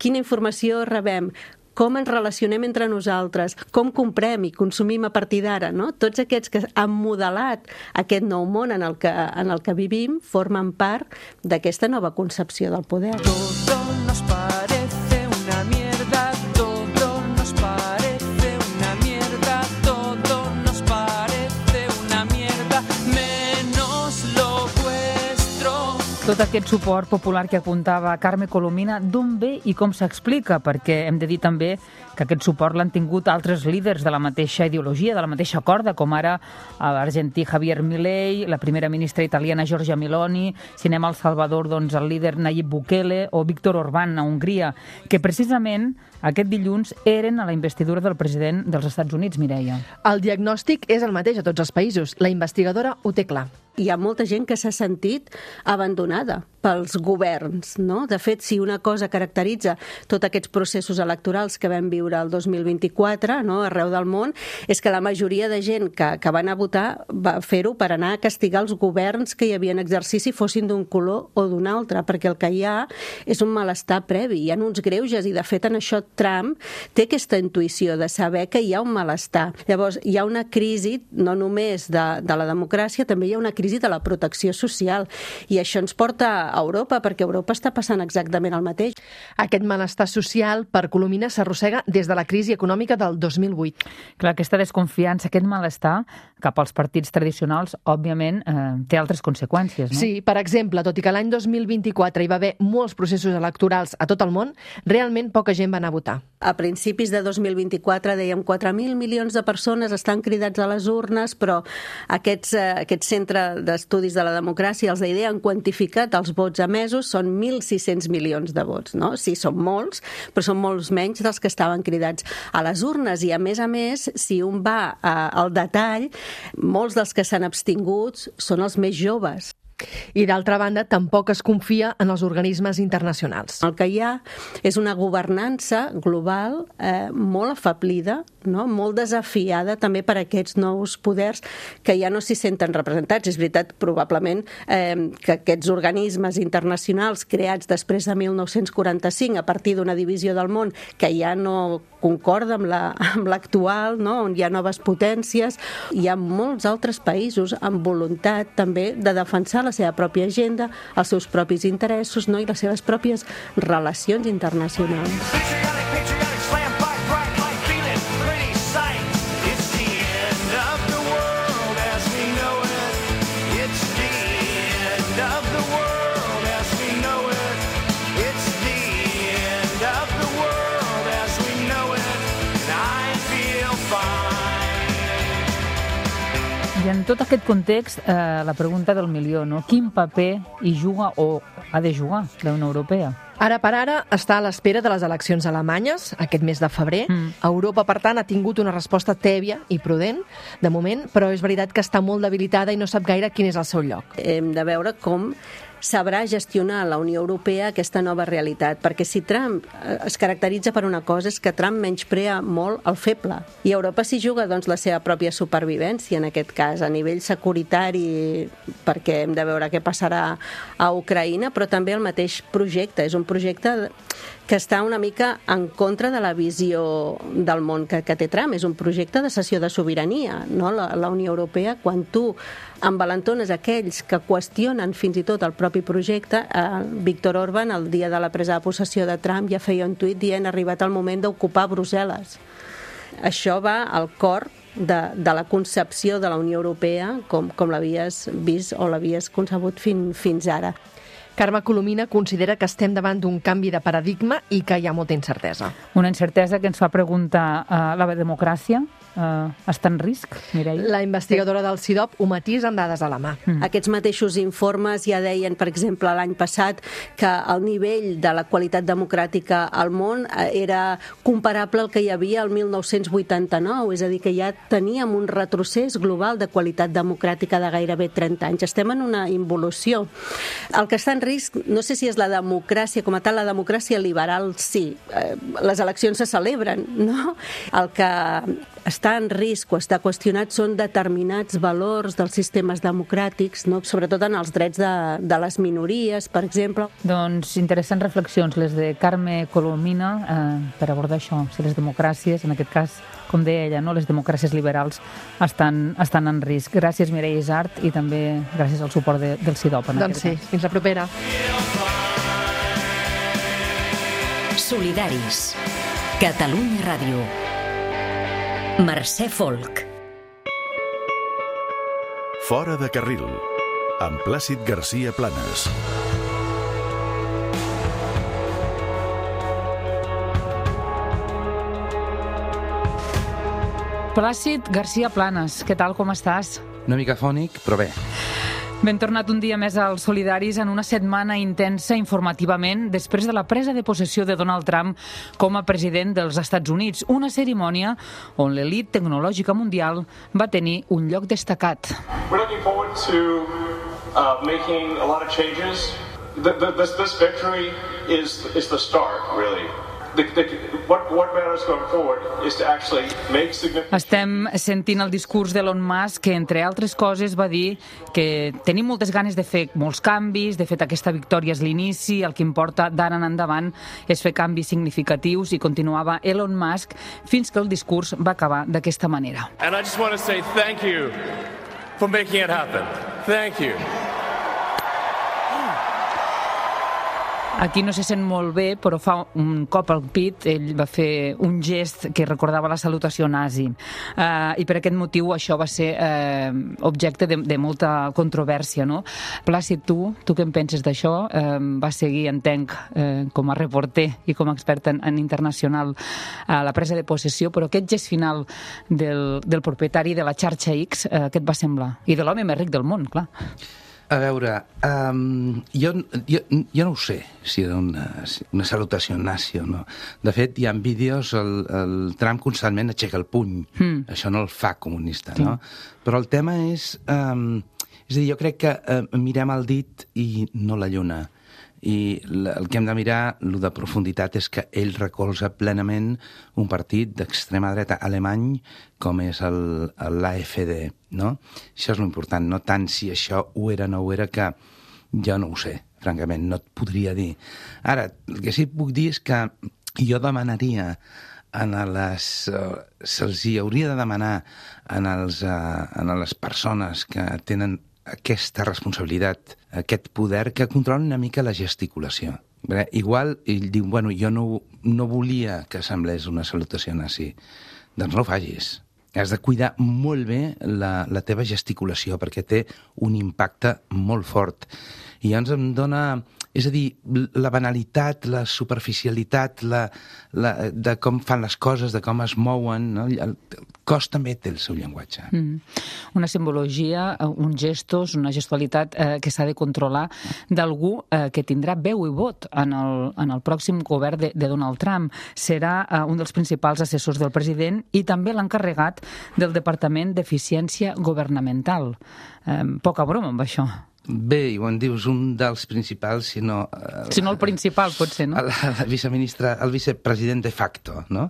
quina informació rebem, com ens relacionem entre nosaltres, com comprem i consumim a partir d'ara, no? Tots aquests que han modelat aquest nou món en el que vivim formen part d'aquesta nova concepció del poder. Todo nos parece una mierda, todo nos parece una mierda, todo nos parece una mierda, menos lo vuestro. Tot aquest suport popular que apuntava Carme Colomina, d'on ve i com s'explica? Perquè hem de dir també que aquest suport l'han tingut altres líders de la mateixa ideologia, de la mateixa corda, com ara l'argentí Javier Milei, la primera ministra italiana Giorgia Meloni, si anem al Salvador, doncs el líder Nayib Bukele o Víctor Orbán a Hongria, que precisament aquest dilluns eren a la investidura del president dels Estats Units, Mireia. El diagnòstic és el mateix a tots els països. La investigadora ho té clar. Hi ha molta gent que s'ha sentit abandonada pels governs, no? De fet, si una cosa caracteritza tots aquests processos electorals que vam viure el 2024, no, arreu del món, és que la majoria de gent que van a votar va fer-ho per anar a castigar els governs que hi havia en exercici, fossin d'un color o d'un altre, perquè el que hi ha és un malestar previ, hi ha uns greuges, i de fet en això Trump té aquesta intuïció de saber que hi ha un malestar. Llavors, hi ha una crisi no només de la democràcia, també hi ha una crisi de la protecció social, i això ens porta a Europa, perquè a Europa està passant exactament el mateix. Aquest malestar social per Colomina s'arrossega des de la crisi econòmica del 2008. Clar, aquesta desconfiança, aquest malestar cap als partits tradicionals, òbviament, té altres conseqüències, no? Sí, per exemple, tot i que l'any 2024 hi va haver molts processos electorals a tot el món, realment poca gent va anar a votar. A principis de 2024 dèiem 4.000 milions de persones estan cridats a les urnes, però aquest centre d'estudis de la democràcia, els d'IDEA, han quantificat els vots emesos, són 1.600 milions de vots, no? Sí, són molts, però són molts menys dels que estaven cridats a les urnes, i a més, si un va al detall, molts dels que s'han abstingut són els més joves. I d'altra banda, tampoc es confia en els organismes internacionals. El que hi ha és una governança global molt afablida, no? Molt desafiada també per aquests nous poders que ja no s'hi senten representats. És veritat, probablement, que aquests organismes internacionals creats després de 1945 a partir d'una divisió del món que ja no concorda amb l'actual, no? On hi ha noves potències. Hi ha molts altres països amb voluntat també de defensar la seva pròpia agenda, els seus propis interessos, no? I les seves pròpies relacions internacionals. I en tot aquest context, la pregunta del milió, no? Quin paper hi juga o ha de jugar la Unió Europea? Ara per ara està a l'espera de les eleccions alemanyes, aquest mes de febrer. Europa, per tant, ha tingut una resposta tèbia i prudent, de moment, però és veritat que està molt debilitada i no sap gaire quin és el seu lloc. Hem de veure com sabrà gestionar la Unió Europea aquesta nova realitat, perquè si Trump es caracteritza per una cosa és que Trump menysprea molt el feble, i Europa s'hi juga doncs la seva pròpia supervivència en aquest cas, a nivell securitari, perquè hem de veure què passarà a Ucraïna, però també el mateix projecte, és un projecte que està una mica en contra de la visió del món que té Trump, és un projecte de cessió de sobirania, no? La Unió Europea, quan tu envalentones aquells que qüestionen fins i tot el propi projecte, Víctor Orbán, el dia de la presa de possessió de Trump, ja feia un tuit dient: ha arribat el moment d'ocupar Brussel·les. Això va al cor de la concepció de la Unió Europea com l'havies vist o l'havies concebut fins ara. Carme Colomina considera que estem davant d'un canvi de paradigma i que hi ha molta incertesa. Una incertesa que ens fa preguntar la democràcia està en risc, Mireia? La investigadora del CIDOB ho matisa amb dades a la mà. Aquests mateixos informes ja deien, per exemple, l'any passat, que el nivell de la qualitat democràtica al món era comparable al que hi havia el 1989, és a dir, que ja teníem un retrocés global de qualitat democràtica de gairebé 30 anys. Estem en una involució. El que està en risc, no sé si és la democràcia com a tal, la democràcia liberal sí, les eleccions se celebren, no? El que està en risc o està qüestionat són determinats valors dels sistemes democràtics, no? Sobretot en els drets de les minories, per exemple. Doncs interessants reflexions, les de Carme Colomina, per abordar això, si les democràcies, en aquest cas, com deia ella, no? Les democràcies liberals estan en risc. Gràcies, Mireia Isart, i també gràcies al suport del CIDOB. Doncs sí, fins la propera. Solidaris. Catalunya Ràdio. Mercè Folk. Fora de carril, amb Plàcid García Planas. Plàcid García Planas, què tal, com estàs? Una mica fònic, però bé. Ben tornat un dia més als Solidaris en una setmana intensa informativament després de la presa de possessió de Donald Trump com a president dels Estats Units, una cerimònia on l'elit tecnològica mundial va tenir un lloc destacat. We're looking forward to making a lot of changes. This victory is the start, really. What matters going forward is to actually make significant... Estem sentint el discurs d'Elon Musk, que, entre altres coses, va dir que tenim moltes ganes de fer molts canvis, de fet, aquesta victòria és l'inici, el que importa d'ara en endavant és fer canvis significatius, i continuava Elon Musk fins que el discurs va acabar d'aquesta manera. And I just want to say thank you for making it happen. Thank you. Aquí no se sent molt bé, però fa un cop al pit, ell va fer un gest que recordava la salutació nazi. I per aquest motiu això va ser objecte de molta controvèrsia, no? Plàcid, tu què en penses d'això? Vas seguir, entenc, com a reporter i com a expert en internacional a la presa de possessió, però aquest gest final del propietari de la xarxa X, què et va semblar? I de l'home més ric del món, clar. A veure, jo no ho sé si era una salutació nazi o no. De fet, hi ha vídeos, el Trump constantment aixeca el puny. Això no el fa comunista, no? Però el tema és a dir, jo crec que mirem el dit i no la lluna. I el que hem de mirar, el de profunditat, és que ell recolza plenament un partit d'extrema dreta alemany com és l'AfD, no? Això és l'important, no tant si això ho era o no ho era, que jo no ho sé, francament, no et podria dir. Ara, el que sí que puc dir és que jo demanaria se'ls hi hauria de demanar a les persones que tenen aquesta responsabilitat, aquest poder, que controla una mica la gesticulació. Igual ell diu, bueno, jo no volia que semblés una salutació nazi. Doncs no ho facis. Has de cuidar molt bé la teva gesticulació, perquè té un impacte molt fort. I llavors em dona... És a dir, la banalitat, la superficialitat, de com fan les coses, de com es mouen, no? El cos també té el seu llenguatge. Una simbologia, uns gestos, una gestualitat que s'ha de controlar d'algú que tindrà veu i vot en el pròxim govern de Donald Trump. Serà un dels principals assessors del president i també l'encarregat del Departament d'Eficiència Governamental. Poca broma amb això. Bé, i ho en dius, un dels principals, si no el principal, potser, no? El vicepresident de facto, no?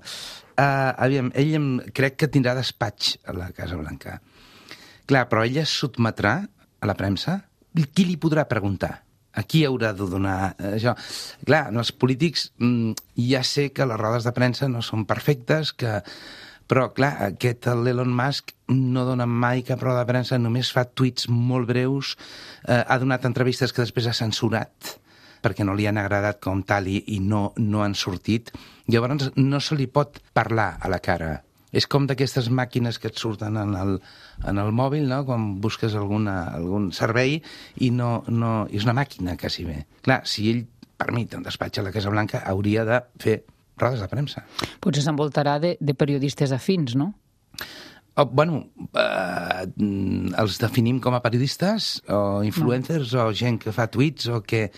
Aviam, ell crec que tindrà despatx a la Casa Blanca. Clar, però ell es sotmetrà a la premsa? Qui li podrà preguntar? A qui haurà de donar això? Clar, els polítics ja sé que les rodes de premsa no són perfectes, però, clar, l'Elon Musk no dona mai cap roda de premsa, només fa tuits molt breus, ha donat entrevistes que després ha censurat perquè no li han agradat com tal i no han sortit. Llavors no se li pot parlar a la cara. És com d'aquestes màquines que et surten en el mòbil, no? Quan busques algun servei i és una màquina, quasi bé. Clar, si ell permet un despatx a la Casa Blanca, hauria de fer rodes de premsa. Potser s'envoltarà de periodistes afins, no? Bueno, els definim com a periodistes o influencers o gent que fa tuits o que...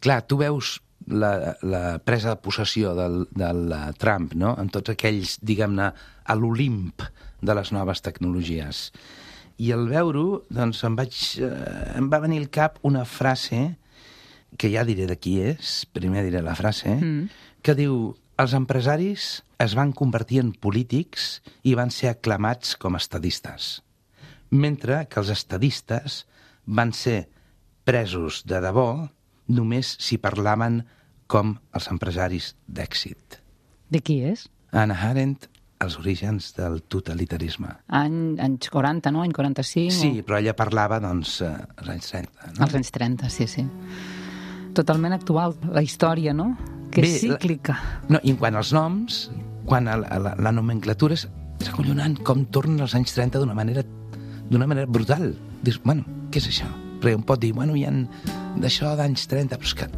Clar, tu veus la presa de possessió del Trump, no? Amb tots aquells, diguem-ne, a l'Olimp de les noves tecnologies. I al veure-ho, doncs em va venir al cap una frase, que ja diré de qui és, primer diré la frase, que diu: els empresaris es van convertir en polítics i van ser aclamats com a estadistes, mentre que els estadistes van ser presos de debò només si parlaven com els empresaris d'èxit. De qui és? Hannah Arendt, Els orígens del totalitarisme. Anys 40, no? Any 45? Sí, però ella parlava, doncs, als anys 30. No? Als anys 30, sí. Totalment actual, la història, no? Que és cíclica. No, i quant als noms, quan la nomenclatura és acollonant com tornen als anys 30 d'una manera brutal. Dius, bueno, què és això? perquè un pot dir, bueno, hi ha d'això d'anys 30, però és que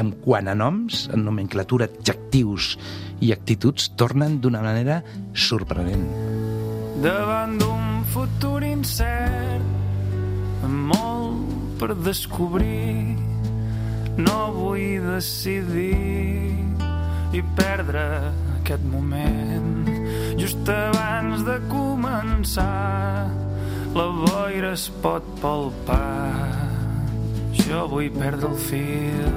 en quant a noms, en nomenclatura, adjectius i actituds, tornen d'una manera sorprenent. Davant d'un futur incert, molt per descobrir, no vull decidir i perdre aquest moment. Just abans de començar, la boira es pot palpar. Jo vull perdre el fil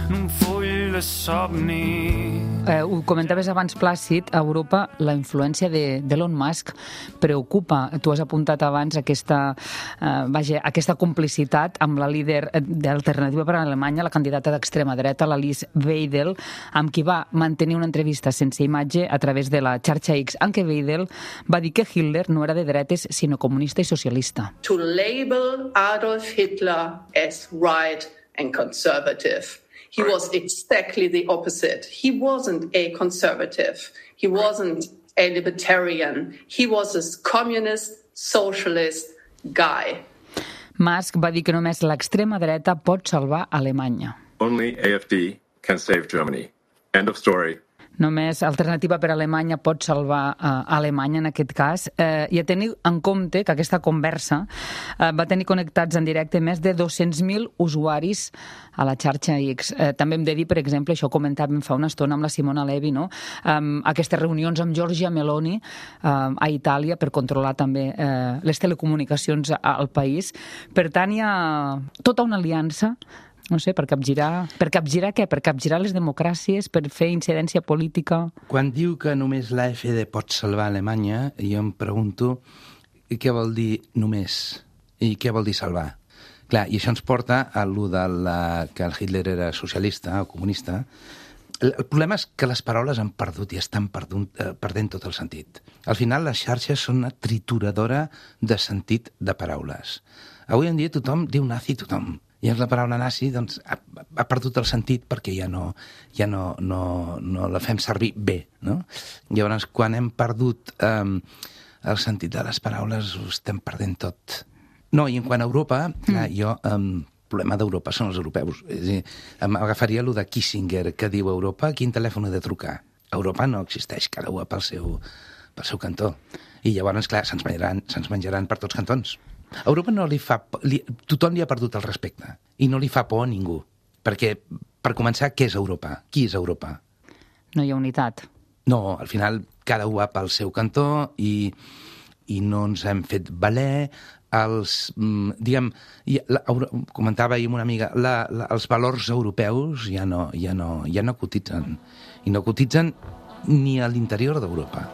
en un full de somni. Ho comentaves abans, Plàcid, a Europa la influència d'Elon Musk preocupa. Tu has apuntat abans aquesta complicitat amb la líder d'Alternativa per a Alemanya, la candidata d'extrema dreta, l'Alice Weidel, amb qui va mantenir una entrevista sense imatge a través de la xarxa X, en què Weidel va dir que Hitler no era de dretes, sinó comunista i socialista. To label Adolf Hitler as right and conservative. He was exactly the opposite. He wasn't a conservative. He wasn't a libertarian. He was a communist, socialist guy. Musk va dir que només l'extrema dreta pot salvar Alemanya. Only AfD can save Germany. End of story. Només Alternativa per a Alemanya pot salvar Alemanya en aquest cas. I a tenir en compte que aquesta conversa va tenir connectats en directe més de 200.000 usuaris a la xarxa X. També hem de dir, per exemple, això ho comentàvem fa una estona amb la Simona Levi, no? Aquestes reunions amb Giorgia Meloni a Itàlia per controlar també les telecomunicacions al país. Per tant, hi ha tota una aliança, no sé, per capgirar què? Per capgirar les democràcies, per fer incidència política? Quan diu que només l'AfD pot salvar Alemanya, jo em pregunto què vol dir només i què vol dir salvar. Clar, i això ens porta a allò que el Hitler era socialista o comunista. El problema és que les paraules han perdut i estan perdent tot el sentit. Al final, les xarxes són una trituradora de sentit de paraules. Avui en dia tothom diu nazi, tothom. I la paraula nazi doncs, ha perdut el sentit perquè ja no la fem servir bé. No? Llavors, quan hem perdut el sentit de les paraules, ho estem perdent tot. No, i en quant a Europa, clar, el problema d'Europa són els europeus. És a dir, m'agafaria allò de Kissinger, que diu Europa, quin telèfon he de trucar? Europa no existeix, cada un pel seu cantó. I llavors, clar, se'ns menjaran per tots cantons. A Europa no li fa por, tothom li ha perdut el respecte i no li fa por a ningú. Perquè, per començar, què és Europa? Qui és Europa? No hi ha unitat. No, al final cada un va pel seu cantó i no ens hem fet valer comentava ahir amb una amiga, els valors europeus ja no cotitzen. I no cotitzen ni a l'interior d'Europa.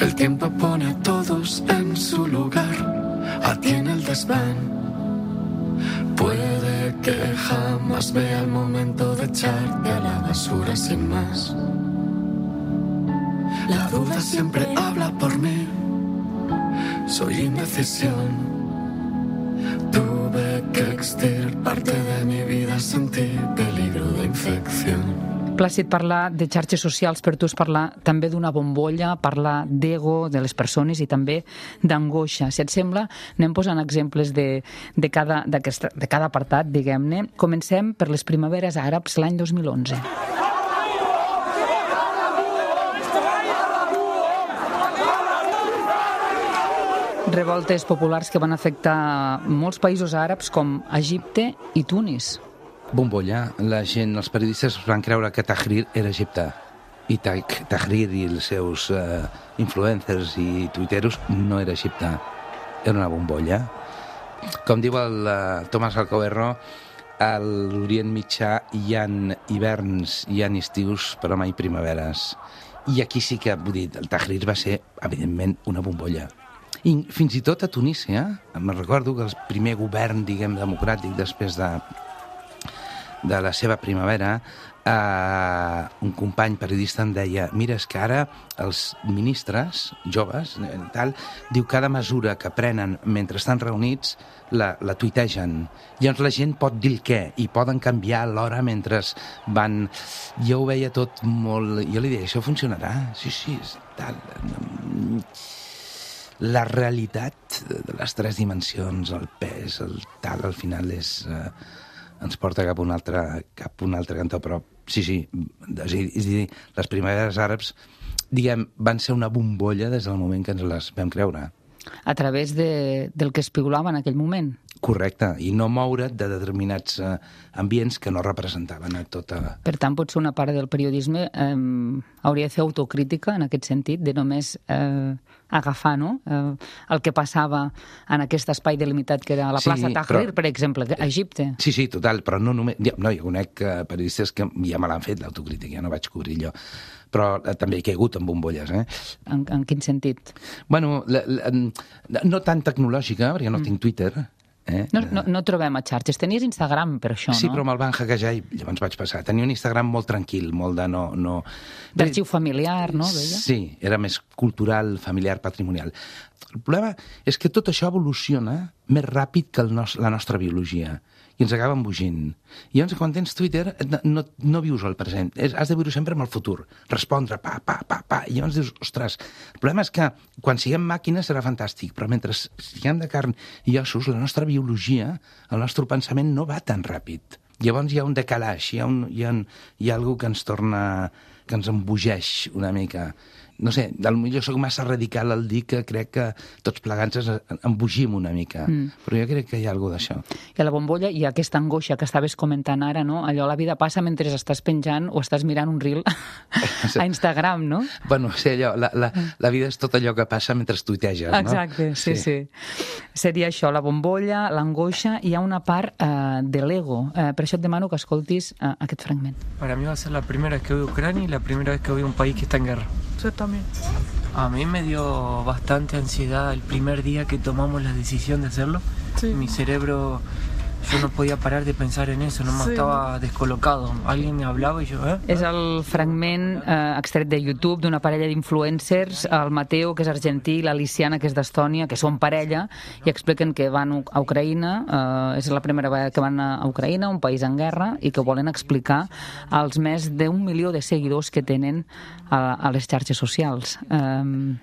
El tiempo pone a todos en su lugar. A ti en el desván. Puede que jamás vea el momento de echarte a la basura sin más. La duda siempre habla por mí. Soy indecisión. Tuve que extirparte de mi vida, sentí peligro de infección. Plàcid, parlar de xarxes socials per tu és parlar també d'una bombolla, parlar d'ego de les persones i també d'angoixa. Si et sembla, anem posant exemples de cada apartat, diguem-ne. Comencem per les primaveres àrabs l'any 2011. Revoltes populars que van afectar molts països àrabs com Egipte i Tunis. Bombolla. La gent, els periodistes van creure que Tahrir era Egipte. I Tahrir i els seus influencers i tuiteros no era Egipte. Era una bombolla. Com diu el Tomàs Alcoverro, a l'Orient Mitjà hi ha hiverns, hi ha estius, però mai primaveres. I aquí sí que, vull dir, el Tahrir va ser, evidentment, una bombolla. I fins i tot a Tunísia, me'n recordo que el primer govern, diguem, democràtic després de la seva primavera, un company periodista em deia, mira, és que ara els ministres joves, diu cada mesura que prenen mentre estan reunits la tuitegen. Llavors la gent pot dir el què i poden canviar l'hora mentre van... Jo ho veia tot molt... Jo li deia, això funcionarà? Sí, tal... la realitat de les 3 dimensions, el pes, el tal, al final ens porta cap a un altre cantó, però sí, és a dir, les primaveres àrabs, diguem, van ser una bombolla des del moment que ens les vam creure. A través del que es piulava en aquell moment. Correcte, i no moure't de determinats ambients que no representaven a tota... Per tant, potser una part del periodisme hauria de fer autocrítica en aquest sentit, de només agafar el que passava en aquest espai delimitat que era la plaça Tahrir, per exemple, a Egipte. Sí, total, però no només... No, jo conec periodistes que ja me l'han fet, l'autocrítica, ja no vaig cobrir jo. Però també he caigut en bombolles, En quin sentit? Bueno, no tan tecnològica, perquè no tinc Twitter. No trobem a xarxes. Tenies Instagram per això, no? Sí, però me'l van hackejar i llavors vaig passar. Tenia un Instagram molt tranquil, molt de no... D'arxiu familiar, no? Sí, era més cultural, familiar, patrimonial. El problema és que tot això evoluciona més ràpid que la nostra biologia i ens acaba embogint. I llavors, quan tens Twitter, no vius el present. Has de viure sempre amb el futur. Respondre, pa. I llavors dius, ostres, el problema és que quan siguem màquines serà fantàstic, però mentre siguem de carn i ossos, la nostra biologia, el nostre pensament no va tan ràpid. Llavors hi ha un decalaix, hi ha alguna que ens torna, que ens embogeix una mica. No sé, potser soc massa radical al dir que crec que tots plegats ens embogim una mica, però jo crec que hi ha alguna d'això. I a la bombolla hi ha aquesta angoixa que estaves comentant ara, no? Allò, la vida passa mentre estàs penjant o estàs mirant un reel a Instagram, no? Bueno, sí, allò, la vida és tot allò que passa mentre tuiteges, no? Exacte, sí. Seria això, la bombolla, l'angoixa, i hi ha una part de l'ego. Per això et demano que escoltis aquest fragment. Para mí va a ser la primera vez que voy a Ucrania y la primera vez que voy a un país que está en guerra. Yo también. A mí me dio bastante ansiedad el primer día que tomamos la decisión de hacerlo. Sí. Mi cerebro, yo no podía parar de pensar en eso, nomás estaba descolocado. Alguien me hablaba y yo... És el fragment extret de YouTube d'una parella d'influencers, el Mateo, que és argentí, i l'Aliciana, que és d'Estònia, que són parella, i expliquen que van a Ucraïna, és la primera vegada que van a Ucraïna, un país en guerra, i que volen explicar als més d'1 milió de seguidors que tenen a les xarxes socials.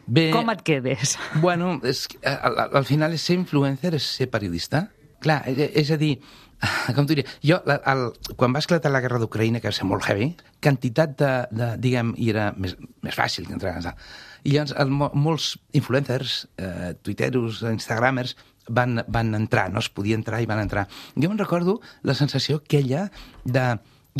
Bé, com et quedes? Bueno, al final ser influencer és ser periodista. Clar, és a dir, com t'ho diria, jo, quan va esclatar la guerra d'Ucraïna, que va ser molt heavy, quantitat diguem, i era més fàcil que entrar. I llavors molts influencers, tuiteros, instagramers, van entrar, no es podia entrar i van entrar. Jo me'n recordo la sensació aquella de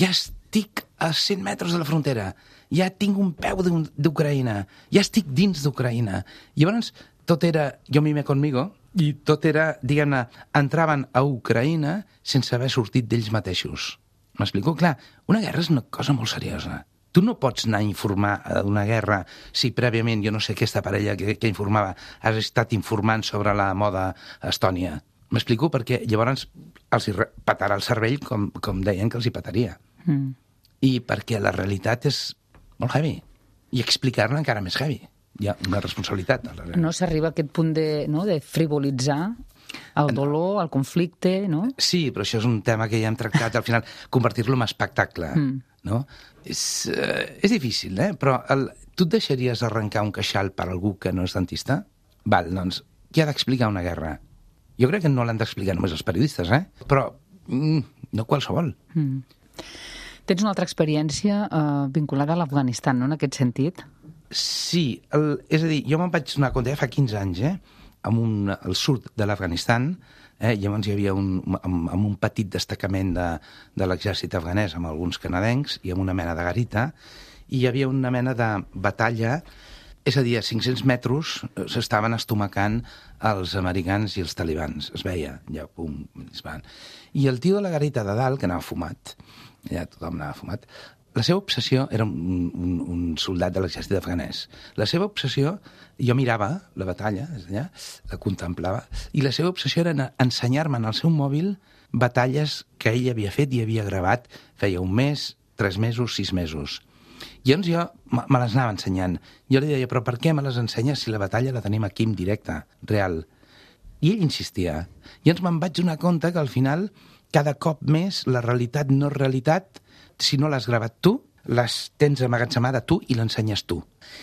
ja estic a 100 metres de la frontera, ja tinc un peu d'Ucraïna, ja estic dins d'Ucraïna. Llavors tot era yo mismo conmigo, i tot era, diguem-ne, entraven a Ucraïna sense haver sortit d'ells mateixos. M'explico? Clar, una guerra és una cosa molt seriosa. Tu no pots anar a informar d'una guerra si prèviament, jo no sé, aquesta parella que informava has estat informant sobre la moda a Estònia. M'explico? Perquè llavors els petarà el cervell com deien que els hi petaria. I perquè la realitat és molt heavy. I explicar-la encara més heavy. Hi ha una responsabilitat. No s'arriba a aquest punt de frivolitzar el dolor, el conflicte, no? Sí, però això és un tema que ja hem tractat, al final, convertir-lo en espectacle, no? És difícil, però tu et deixaries arrencar un queixal per algú que no és dentista? Val, doncs, qui ha d'explicar una guerra? Jo crec que no l'han d'explicar només els periodistes, però no qualsevol. Tens una altra experiència vinculada a l'Afganistan, no?, en aquest sentit? Sí, és a dir, jo me'n vaig donar compte fa 15 anys, al sud de l'Afganistan, llavors hi havia un petit destacament de l'exèrcit afganès amb alguns canadencs i amb una mena de garita, i hi havia una mena de batalla, és a dir, a 500 metres s'estaven estomacant els americans i els talibans, es veia, ja, pum, es van. I el tio de la garita de dalt, que anava fumat, ja tothom anava fumat, la seva obsessió era un soldat de l'exèrcit afganès. La seva obsessió, jo mirava la batalla, la contemplava, i la seva obsessió era ensenyar-me en el seu mòbil batalles que ell havia fet i havia gravat feia un mes, 3 mesos, 6 mesos. I llavors jo me les anava ensenyant. Jo li deia, però per què me les ensenyes si la batalla la tenim aquí en directe, real? I ell insistia. I llavors me'n vaig donar compte que al final, cada cop més, la realitat no és realitat si no l'has gravat tu, les tens amagatzemada tu i l'ensenyes tu.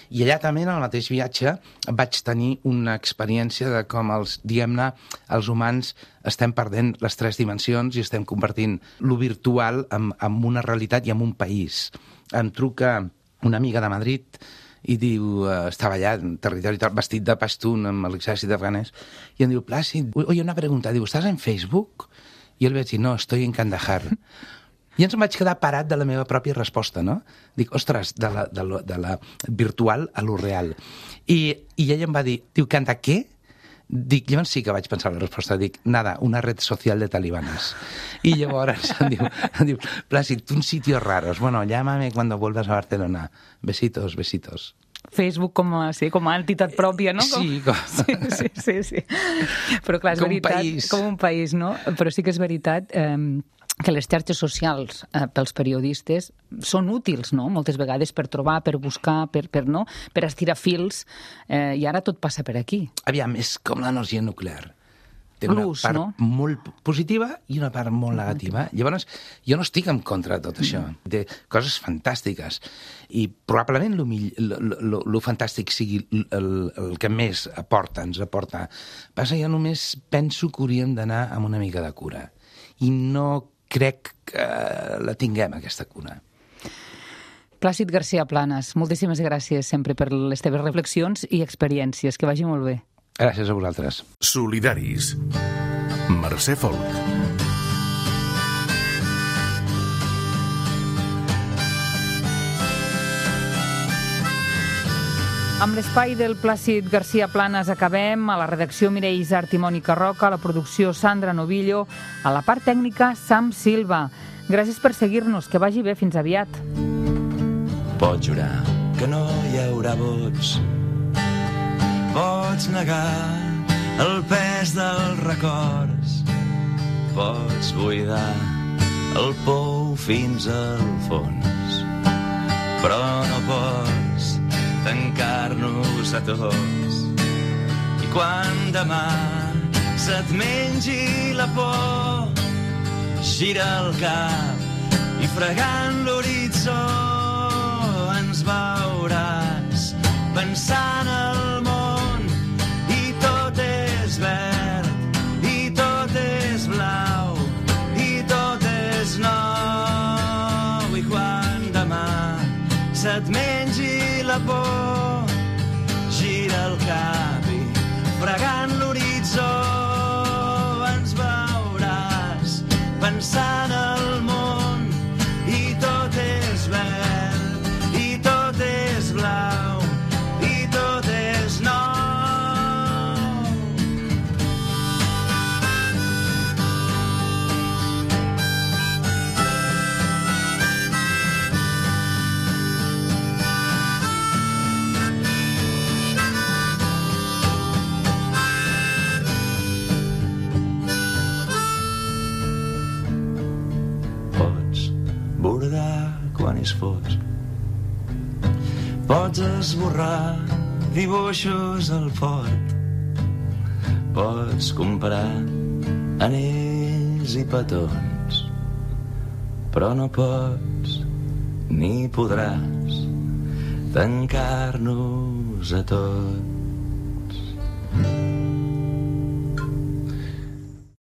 I allà també, en el mateix viatge, vaig tenir una experiència de com diguem-ne, els humans estem perdent les 3 dimensions i estem convertint lo virtual en una realitat i en un país. Em truca una amiga de Madrid i diu, estava allà en territori vestit de pastún amb l'exèrcit afganès, i em diu, Plàcid, oye, una pregunta, diu, ¿estás en Facebook? I ell vaig dir, no, estoy en Kandahar. I ens em vaig quedar parat de la meva pròpia resposta, no? Dic, ostres, de la virtual a lo real. I ella em va dir, diu, ¿canta què? Dic, llavors sí que vaig pensar la resposta, dic, nada, una red social de talibanes. I llavors em diu, Plàcid, un sitio raros, bueno, llámame cuando vuelvas a Barcelona. Besitos, besitos. Facebook com a entitat pròpia, no? Sí. Sí. Però clar, és veritat, com un país, no? Però sí que és veritat que les xarxes socials pels periodistes són útils, no? Moltes vegades per trobar, per buscar, per estirar fils, i ara tot passa per aquí. Aviam, és com l'energia nuclear. Té una part molt positiva i una part molt negativa. Llavors, jo no estic en contra de tot això. Té coses fantàstiques. I probablement el fantàstic sigui el que més ens aporta. Passa, jo només penso que hauríem d'anar amb una mica de cura. I no crec que la tinguem, aquesta cura. Plàcid García Planas, moltíssimes gràcies sempre per les teves reflexions i experiències. Que vagi molt bé. Gràcies a vosaltres. Solidaris. Mercè Folk. Amb l'espai del Plàcid García Planas acabem. A la redacció Mireia Isart i Mònica Roca, a la producció Sandra Novillo, a la part tècnica Sam Silva. Gràcies per seguir-nos, que vagi bé, fins aviat. Pots jurar que no hi haurà vots, pots negar el pes dels records, pots buidar el pou fins al fons, però no pots tancar-nos a tots. I quan demà se't mengi la por, gira el cap i fregant l'horitzó ens veuràs pensant el món i tot és verd i tot és blau i tot és nou. I quan demà se't mengi la por, gira el cap i fregant l'horitzó ens veuràs pensant el món i tot és verd i tot és blau i tot és nou. Bordar quan és fos, pots esborrar dibuixos al fort, pots comprar anells i petons, però no pots ni podràs tancar-nos a tots.